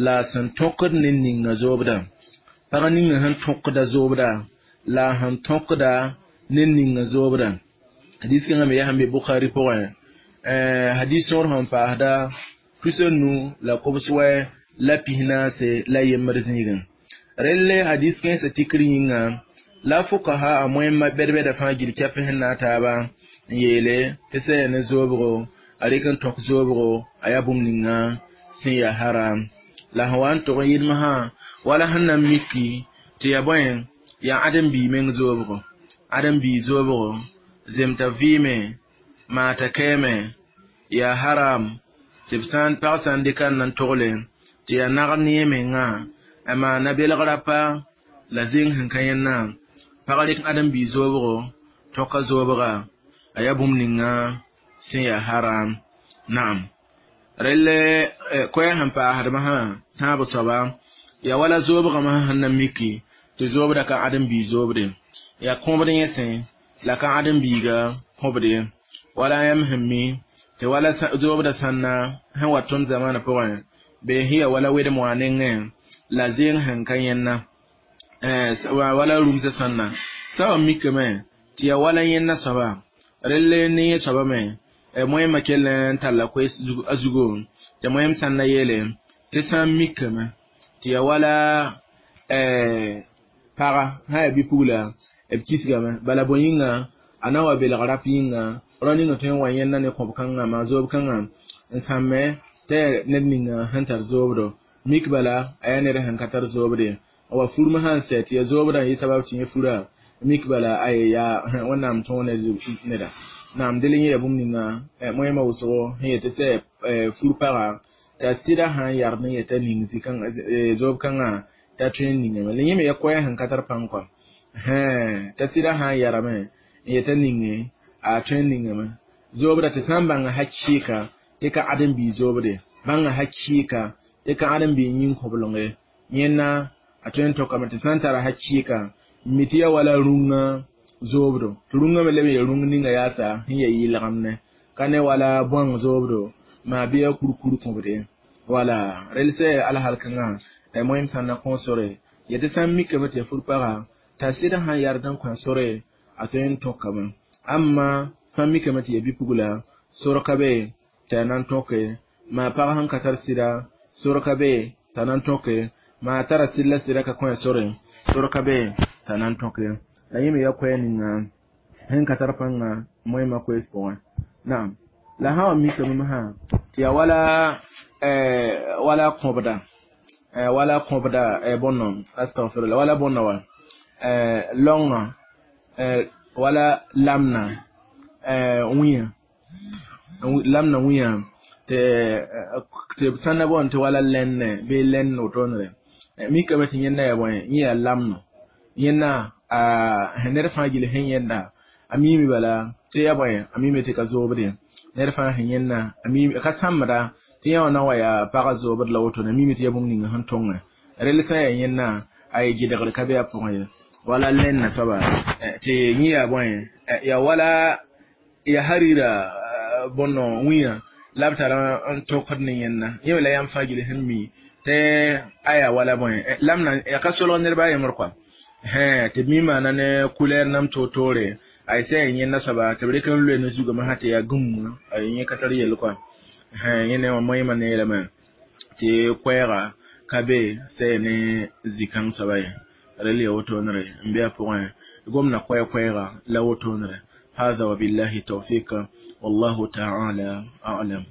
la sẽn tõkd ne ninga zoobda pag ninga sẽn tõkda zoobda la sẽn tõkda ne ninga zoobda. Hadis kãngã me yaa sẽn be Bukhari pʋgẽ hadis sõor sẽn paasda tusa nu la kobs wɛ la pisnaase la yembr zĩigẽ. Relle hadis kẽensã tikr yĩnga la fuqaha a moẽmã bɛd-bɛda fãa gil kɛp sẽn naag taaba n yeele tɩ sã yaa ne zoobgo a rɩk n tõk zoobgo a yaa bũmb ninga sẽn yaa haram la sẽn wa n tog n yɩlmsã wala sẽn na n miki tɩ Tɩ yaa bõe yaa ãdem-biig meng zoobgo ãdem-biig zoobgo zemta vɩɩme maata kɛɛme yaa haram tɩ b sã n pag sã n dɩka n na n togle tɩ yaa nagr ne yẽ mengã a maana belg rapa la zẽng sẽn ka yẽnna pag rɩk ãdem-biig zoobgo tõka zoobga a yaa bũmb ninga sẽn yaa haram naam rel koɛɛg sẽn paasdmã sã tãab soaba yaa wala zoobgame sẽn na miki tɩ zoobda ka ãdem-biig zoobde yaa kõbd yẽsẽ la ka ãdem-biiga kõbd ye wala yãmb sẽn mi tɩ wala zoobda sãnna sẽn wa tõnd zamaana pʋgẽ bee sẽn ya wala wedem wã nengẽ la zẽeng sẽn ka yẽnna wala rũmsã sãnna sã wa mikame tɩ yaa wala yẽnna soaba rel ne yẽ soaba me moẽmã kell n talla koees a zugo tɩ moẽm sãn na yeele tɩ sã n mikame tɩ yaa wala paga sã yaa bɩ-pugla b kisgame bala bõe yĩnga a na wa belg rap yĩnga rao ninga tõe n wa yẽnna ne kõb kãngã maa zoob kãngã n sãmme t'a yaa ned ninga sẽn tar zoobdo mik bala a yaa ned sẽn ka tar zoobde n wa furmã sã n sɛ tɩ yaa zoobdã n yɩ sabab tɩ yẽ fura mik bala a ye yaa wẽnnaam tõog neda naam del yẽ yaa bũmb ninga moẽmã wʋsgo sẽn yetɩ sɛ fur-paga t'a sɩda sã n yagd n yetã ning zoob kãngã t'a tõe n ningame la yẽ me yaa koɛɛg sẽn ka tar pãng kɔa t'a sɩda sã n yarame n yetã ninge a tõe n ningame zoobda tɩ sã n bãnga hakɩɩka tɩ ka ãdem-biig zoobde bãnga hakɩɩka tɩ ka ãdem-biig yĩn-kõblenge yẽnna a tõe n tokame tɩ sã n tara hakɩɩka n mi tɩ yaa wala rũngã zoobdo tɩ rũngã me leb n yaa rũng ninga yaasa sẽn yaa yɩlgemne ka ne wala bõang zoobdo maa bɩ yaa kurkur kõbde wala rel sɛ alhal kãngã moẽm sã n na kõo sore ya tɩ sã n mikame tɩ ya fur-paga t'a sɩda sã n yard n kõ sore a tõe n tõkame amma sã n mikame tɩ ya bɩ-pugla sor ka be tɩ a na n tõke maa pag sẽn ka tar sɩda sor ka be t'a na n tõke maa tara sɩd la sɩda ka kõ sore sor ka be t'a na n tõke la yẽ me yaa koɛɛg ninga sẽn ka tar pãnga moẽmã koees pʋgẽ naam la sã wa mikame masã tɩ yaa wala wala kõbda wala kõbda bõnno astagfirullah wala bõnno wa lõngã wala lamna wĩyã lamna wĩyã tɩ sãn na boond tɩ wala lɛnne bɩ lɛnn wotoonre mikame tɩ yẽnda yaa bõe yẽ yaa lamno yẽnna ned fãa gil sẽn yẽnda a miime bala tɩ yaa bõe a miime tɩ ka zoobde ned fãa sẽn yẽnna a miime ka sãmbda tɩ yã wã na wa yaa pagã zoobd la wotone a miime tɩ yaa bũmb ninga sẽn tõngẽ rel sã n yaa yẽnna a ye gɩdgr ka be a pʋgẽ ye wala lɛnna soaba tɩ yẽ yaa bõe yaa wala yaa harira bõnno wĩyã la b tara n tokd ne yẽnna yẽ me la yãmb fãa gil sẽn mi tɩ a yaa wala bõe lamna yaa ka solg nedba a yembr kɔa tɩ b mi maana ne kulɛɛr nam toor-toore a y sã yaa yẽnna soaba tɩ b rɩk n loe ne zugame sã tɩ yaa gũm a yẽ ka tar yell kɔa yẽ ne wã moẽmã neerame tɩ koɛɛga ka be sã yaa ne zĩ-kãng soaba ye rel yaa wotoonre n be a pʋgẽ gomda koɛɛ-koɛɛga la wotoonre هذا وبالله التوفيق والله تعالى أعلم.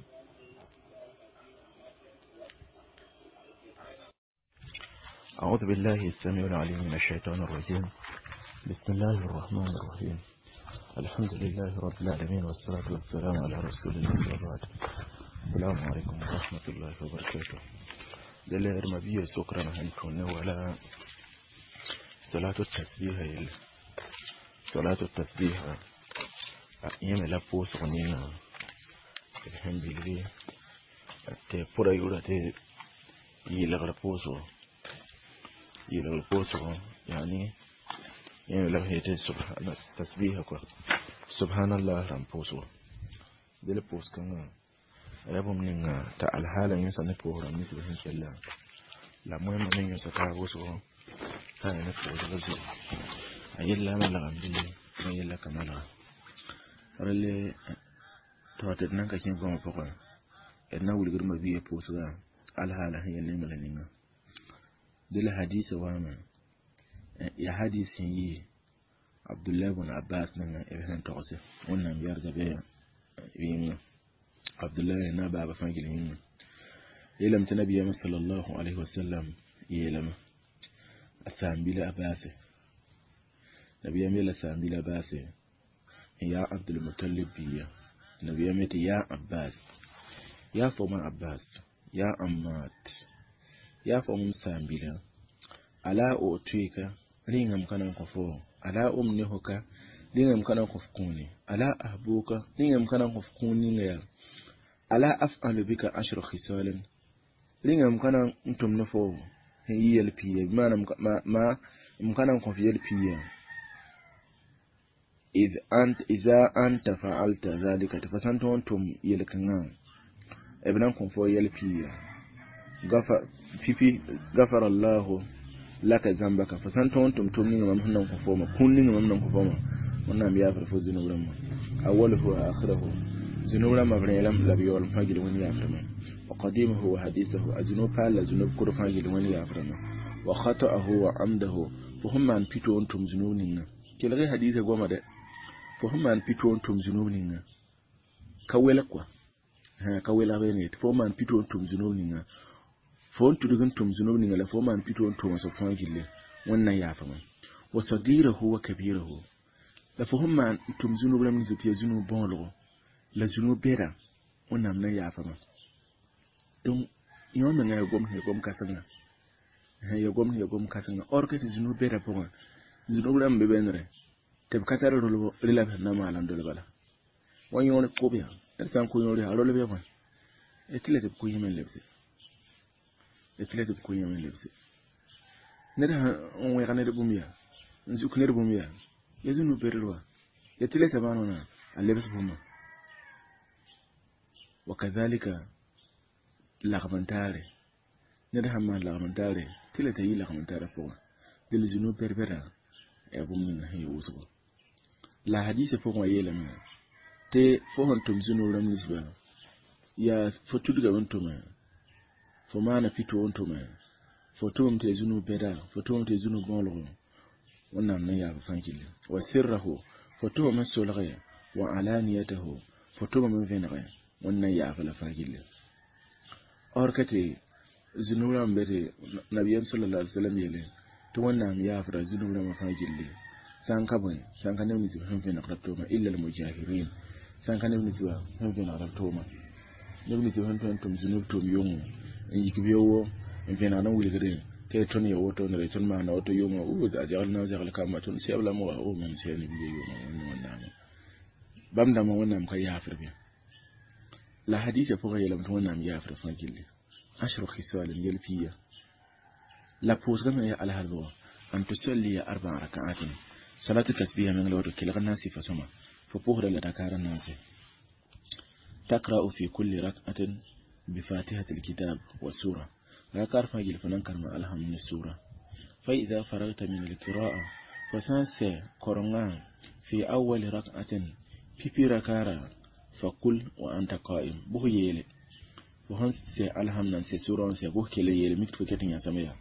أعوذ بالله السميع العليم من الشيطان الرجيم. بسم الله الرحمن الرحيم. الحمد لله رب العالمين والصلاة والسلام على رسول الله وبعد. السلام عليكم ورحمة الله وبركاته. دل إرمبية سكرا هنكون ولا صلاة التسبيح صلاة التسبيح يم لا بوس غنينا الحمد لله تبورا يورا تي يلغ بوسو يلغ بوسو يعني يم لا هي سبحان التسبيح سبحان الله رام بوسو دل بوس كان يبوم نينا تا الحالة ينسى نبورا مثل هنكلا لا مهم أن ينسى تابوسو تا نبورا ayella malagam dili ayella ka malaga rele to tɩ d nan ka kẽ goamã pʋgẽ d na wilgd mabia pʋʋsga alhaala sẽn yaa nemla ninga dɩ la hadisa waame yaa hadis sẽn yɩ Abdullah ibn Abbas nengã b sẽn togse wẽnnaam yarga bɩ yĩnga Abdullah na baaba fãa gil yĩnga yeelame tɩ nabiyaamã sallallahu alayhi wa sallam yeelame A saam-bila Abbase. Nabiyaam yeela saam-bila Abbase n yaa Abdulmutalib biiga. Nabiyaam yetɩ yaa Abbas, yaa fo ma Abbas, yaa Ammat, yaa fo m saam-bila, ala u'tika rĩngame ka na n kõ fo, ala umnihuka rĩngame ka na n kõ f kũuni, ala ahbuka rĩngame ka na n kõ f kũun ninga yaa, ala af'alu bika ashra khisalin rĩngame ka na n tʋm ne fo n yɩ yɛl piiga, bɩ maana m ka na n kõ f yɛl piiga. إذ أنت إذا أنت فعلت ذلك تفسنت أنتم يلكنا ابنكم فو يلبي غفر في غفر الله لك ذنبك فسنت أنتم تمنين ما هن كفوما كونين ما هن كفوما ونعم يافر فوز نورما أوله وآخره ذنوب ما بريلم لبيول فاجل وين يافرما وقديمه وحديثه أذنوب قال ذنوب كر فاجل وين يافرما وخطأه وعمده فهم عن بيتو أنتم ذنوبنا كل حديث قوم ده fo sẽn maan pito n tʋm zũnub ninga ka welg kɔa ka welg be ne tɩ fo maan pito n tʋm zũnub ninga fo n tudg n tʋm zũnub ninga la fo maan pito n tʋm soab fãa gilli Wẽnd na n yaafame wa sagirahu wa kabirahu la fo sẽn maan n tʋm zũnub rãmb nins tɩ yaa zũnub bõolgo la zũnub bɛda Wẽnnaam na n yaafame. Donc yõ menga yaa gom sẽn ya gom kãsenga, yaa gom sẽn ya gom kãsenga or que tɩ zũnub bɛda pʋgẽ zũnub rãmb be bẽnere tɩ b ka tar rela b sẽn na maal n dol bala wa yõor kob yaa ned sã n kʋ yõor yaa a rolb ya bõe tɩ la tɩ b kʋ yẽme n lebse, tɩ la tɩ b kʋ yẽme n lebse. Ned sãn n wẽg ned bũmb yaa n zuk ned bũmb yaa ya zũnub bedr wa ya tɩ la t'a maan wãna a lebs bũmba. Wa kazalika lagm n taare ned sãn maan lagm n taare tɩ la t'a yɩ lagm n taarã pʋgẽ del zũnub bɛd-bɛda yaa bũmb ninga sẽn yɩ wʋsgo. La hadisa pʋgẽ wã yeelame tɩ fo sẽn tʋm zũnub rãmb ninsba yaa fo tudgame n tʋme, fo maana pito n tʋme, fo tʋmame tɩ ya zũnub bɛda, fo tʋmame tɩ ya zũnub bõolgo, Wẽnnaam na n yaab fãa gilli. Wa sirrahu fo tʋmame n solge, wa alaniyatahu fo tʋmame n vẽnege, Wẽnd na n yaab la fãa gilli. Or ka tɩ zũnub rãmb be tɩ nabiyaam sallallahu alaihi wasallam yeele tɩ Wẽnnaam yaafra zũnub rãmbã fãa gilli sã n ka bõe sã n ka neb ninsb sẽn vẽnegd b tooma illa almujahirin sã n ka neb ninsbã sẽn vẽnegd b tooma neb ninsb sẽn tõe n tʋm zũnub tʋʋm yʋngo n yik beoogo n vẽnegd n wilgdẽ tɩ y tõnd ya woto ne tõnd maana woto yʋngo a zɛgl na zɛgl kamba tõnd sɛb lame wa o mam sɛ ne biiga yʋʋma wẽnd Wẽnnaamã bãmb dãmbã Wẽnnaam ka yaafr bɩ la hadisa pʋgã yeelame tɩ Wẽnnaam yaafr fãa gilli ashru khisalin yɛl piiga la pʋʋsgame yaa alhalbgo an tusalliya arba'a rak'atin salatu tasbiha meng la wato kelg n na n sɩfa sõma fo pʋsda la dakar n naase takra'u fi kulli rak'atin bi fatihati alkitab wa sura rakar fãa gil fo nan karema alhamdu ni sura fa idha faragta min alqira'a fo sã n sɛ korengã fi awali rak'atin pipi rakara fa kul wa anta qa'im bʋs yeele fo sẽn sɛ alhamda n sɛ sura n sɛ bʋs kell n yeele mik tɩ fo ket n yãsame yaa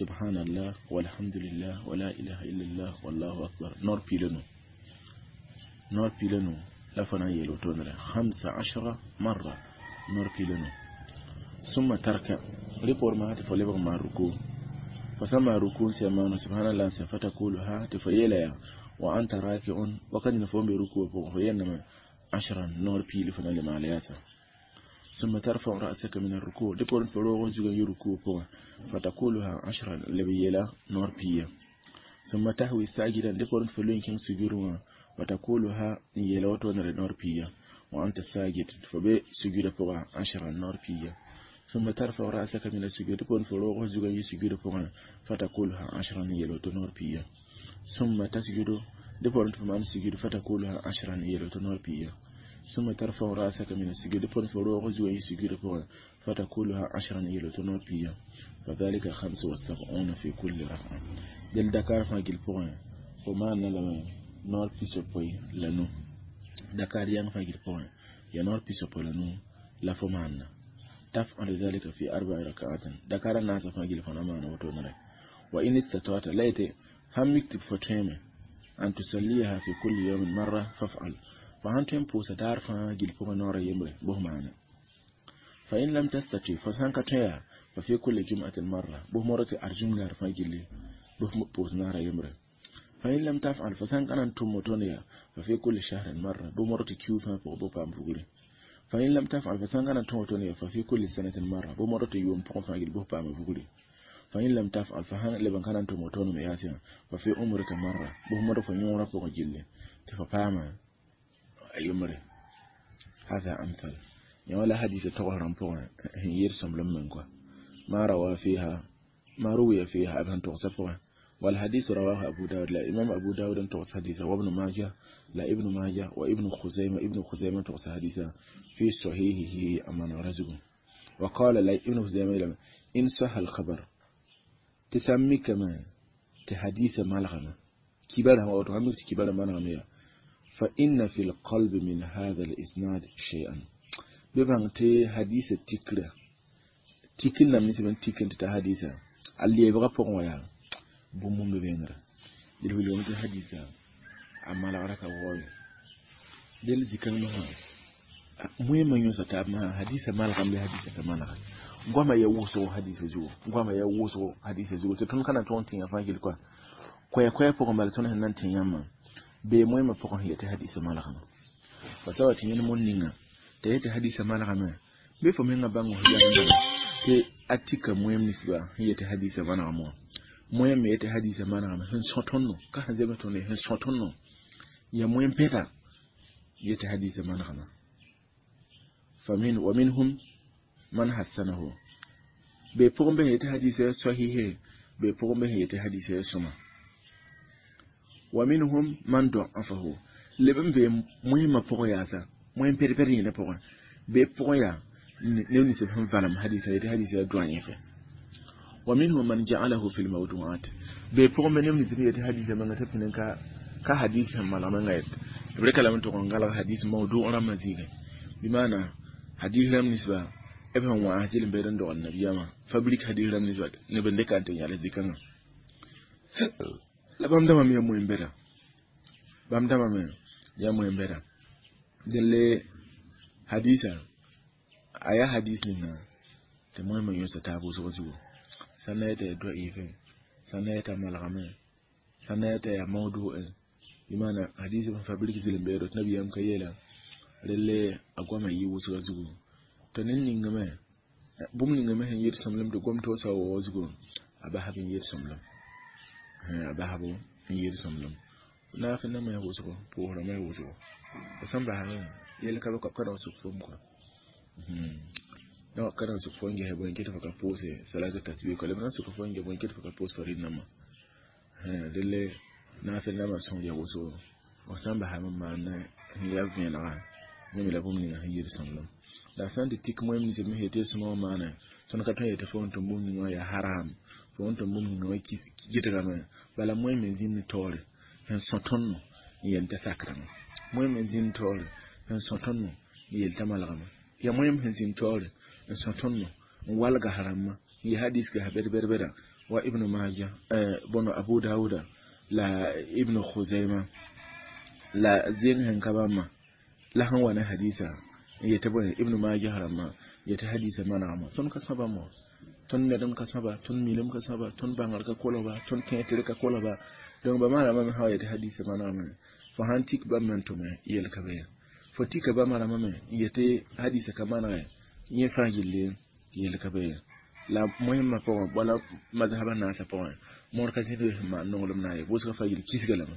subhanallah walhamdulillah wala ilaha illallah wallahu akbar nor pilenu nor pilenu la fo na n yeel wotonere 15 marra nor pilenu summa tarka rɩ maa tɩ fo lebg n maan ruku fo sã n maan ruku n sɛ maano subhanallah n sɛ fatakuluha tɩ fo yeela yaa wa anta raki'un wakat ning fo n be ruku wã pʋgẽ fo yeelame ashran noor piili fo na le maala yaasa ثم ترفع رأسك من الركوع دبور فروغ زغن يركوع بوا فتقولها عشرا لبيلا نور بيا ثم تهوي ساجدا دبور فلوين كان سجوروا وتقولها يلوتو نور بيا وأنت ساجد فبي سجود بوا عشرا نور بيا ثم ترفع رأسك من السجود دبور فروغ زغن يسجود بوا فتقولها عشرا يلوتو نور بيا ثم تسجد دبور فمان سجود فتقولها عشرا يلوتو نور بيا ثم ترفع رأسك من السجود فروغ زوي سجود فتقولها عشرا إلى تنور بيا فذلك 75 في كل ركعة دل دكار فاجل بوين فما نلم نور بيسو بوي لنو دكار ين فاجل بوين يا نور بيسو بوي لنو لا فمان تفعل ذلك في 4 ركعات دكار الناس فاجل فنما نوتو وإن استطعت ليت هم يكتب فتيمة أن تصليها في كل يوم مرة فافعل فهن tõe n pʋʋsa daar fãa gil pʋgẽ noorã yembre bʋs maana fa in lam tastati fo sãn ka tõe yaa fa fi kulli jum'atin marra bʋs modg tɩ arjũm daar fãa gilli Bɩ pʋʋs naara yembre. فإن لم تفعل فسان كان تموتونيا ففي كل شهر مرة بمرة كيو فان فوق بام فوقري. فإن لم تفعل فسان كان تموتونيا ففي كل سنة مرة بمرة يوم فوق فان بام فوقري. فإن لم تفعل فهان لبن كان تموتون مياسيا ففي عمرك مرة بمرة فنيورا فوق جلة تفاما يمري. هذا أمثل يا ولا حديث تغرم فوق يرسم لمن ما روى فيها ما روي فيها أبن تغسفها. والحديث رواه أبو داود لا إمام أبو داود تغس حديثا، وابن ماجه لا ابن ماجه، وابن خزيمة ابن خزيمة تغس حديثا في صحيحه أمان رزقه. وقال لا ابن خزيمة إن صح الخبر تسمي كما تحديث مالغما كبارها وتعمل كبار مالغما فإن في القلب من هذا الإسناد شيئا ببان تي حديث تكرة تكنا من سبن تكن تحديثا اللي يبغى فوق ويا بومم بينرا دل ولي ومت حديثا أما لا ركا ووي دل ذكر ما مهم يوسف تاب ما حديث مالغم بحديث كمان gwama ya wuso hadisi zuwo gwama ya wuso hadisi zuwo te tun kana ton tin afa gil kwa kwaya kwaya pʋgẽ bala tõnd sẽn na n tẽ yãmbã bee moẽmã pʋgẽ sẽn yetɩ hadisã malgame fa sa wa tɩ yẽnd mon ninga t'a yetɩ hadisã malgame bɩ fo mengã bãng f yam tɩ a tika moẽm ninsba sẽn yetɩ hadisã manegame wã moẽm me yetɩ hadisã manegame sẽn sõ tõndo ka sẽn zems tõndo sẽn sõ tõndo ya moẽm pɛta yetɩ hadisã manegame فمن ومنهم من حسنه be pʋgẽ bɩ yetɩ hadisã sahihe be pʋgẽ bɩ yetɩ hadisã sõma ومنهم من ضعفه لبن be muhimma pʋgẽ yaasa moẽm pɛd-pɛd yẽna pʋgẽ be pʋgẽ yaa neb nins sẽn valem hadisã yetɩ hadisã doa yẽfe ومنهم من جعله في الموضوعات be pʋgẽ bɩ neb nins yetɩ hadisã mengã tɩ pĩn ka hadis sẽn malg mengã yet b rɩka lame tʋg n galg hadis mawdu rãmbã zĩigẽ bɩ hadis rãmb ninsba b sẽn wãas zɩl n beed n dogl nabiyaamã fabrique hadis rãmb ninsba neb n dɩka n tɩ yãls zĩ-kãngã la bãmb dãmbã me yaa moẽm bɛda bãmb dãmbã me yaa moẽm bɛda dẽn hadisa a yaa hadis ninga tɩ moẽmã yõsa taab wʋsg zugu sã n na yetɩ yaa dɔiife sã n na yetɩ a malgame sã n na yetɩ yaa mawdu'e bɩ maana hadis sẽn fabrique zɩl n beedo tɩ nabiyaam ka yeela relle a goamã yɩ wʋsga zugu tɩ ned ningame bũmb ningame sẽn yet sõmblem tɩ gom toosã wa zugu a basb n yet sõmblem a basbo n yet sõmblem naaf nama yaa wʋsgo pʋʋsrãmba yaa wʋsgo f sẽn basame yell ka bɩ ka ra sʋk fom kɔa ka ra sʋk fo n ges bõe kɩ tɩ fo ka pʋʋse salatu tasbih kɔ leb na sʋk fo n ges bõe kɩ tɩ fo ka pʋʋs farid namba delle naaf nama sõng yaa wʋsgo f sãn basame n maan n yaa vẽenega yẽ me la bũmb ninga sẽn yet sõmblem la sã n tɩ tik moẽm nins me yetɩ sõma wã maana tõnd ka tõe n yetɩ fo n tʋm bũmb ninga wã yaa haram fo n tʋm bũmb ninga wã gɩdgame bala moẽm n zĩnd taoore sẽn sõ tõndo n yel t'a sakrame moẽm n zĩnd taoore sẽn sõ tõndo n yel t'a malgame yaa moẽm sẽn zĩnd taoore n sõ tõndo n walga rãmbã n yɩ hadis gas bɛd-bɛd-bɛda wa ibnu maja bõno abu dauda la ibnu khuzaima la zẽng sẽn ka bãmba la sẽn wa ne hadisa n yetɩ bõe ibnu majah rãmbã yetɩ hadisa manegame tõnd ka sã bãmb wã tõnd nedem ka sãba tõnd milem ka sãba tõnd bãngr ka kolgba tõnd tẽetre ka kolgba donc ba maarãmbã me sã wa yetɩ hadisa manegame fo sãn tik bãmb me n tʋme yel ka be fo tika bãmb rãmbã me n yetɩ hadisa ka manege yẽ fãa gilli yel ka be la moẽmã pʋgẽ wala mazhaba naasã pʋgẽ mõor ka zĩnd sẽn maan nonglem na n ye wʋsgã fãa gill kisga lame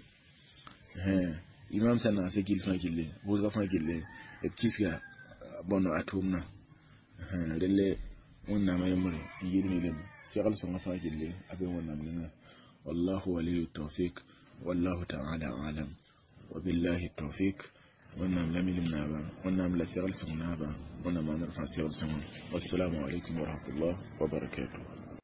imam sã naasã gill fãa gilli wʋsgã fãa gilli b kisga bõno a tʋʋmdã relle wẽnnaamã yembre n yɩl milem segl sõngã fãa gilli a be wẽnnaam ninga wallahu waliyu tawfik wallahu ta'ala alam wa billahi tawfik wẽnnaam la milim naaba wẽnnaam la segl sõng naaba wẽnnaam maanr fãa segl sõngã wassalamu alaikum wa rahmatullah wa barakatuh.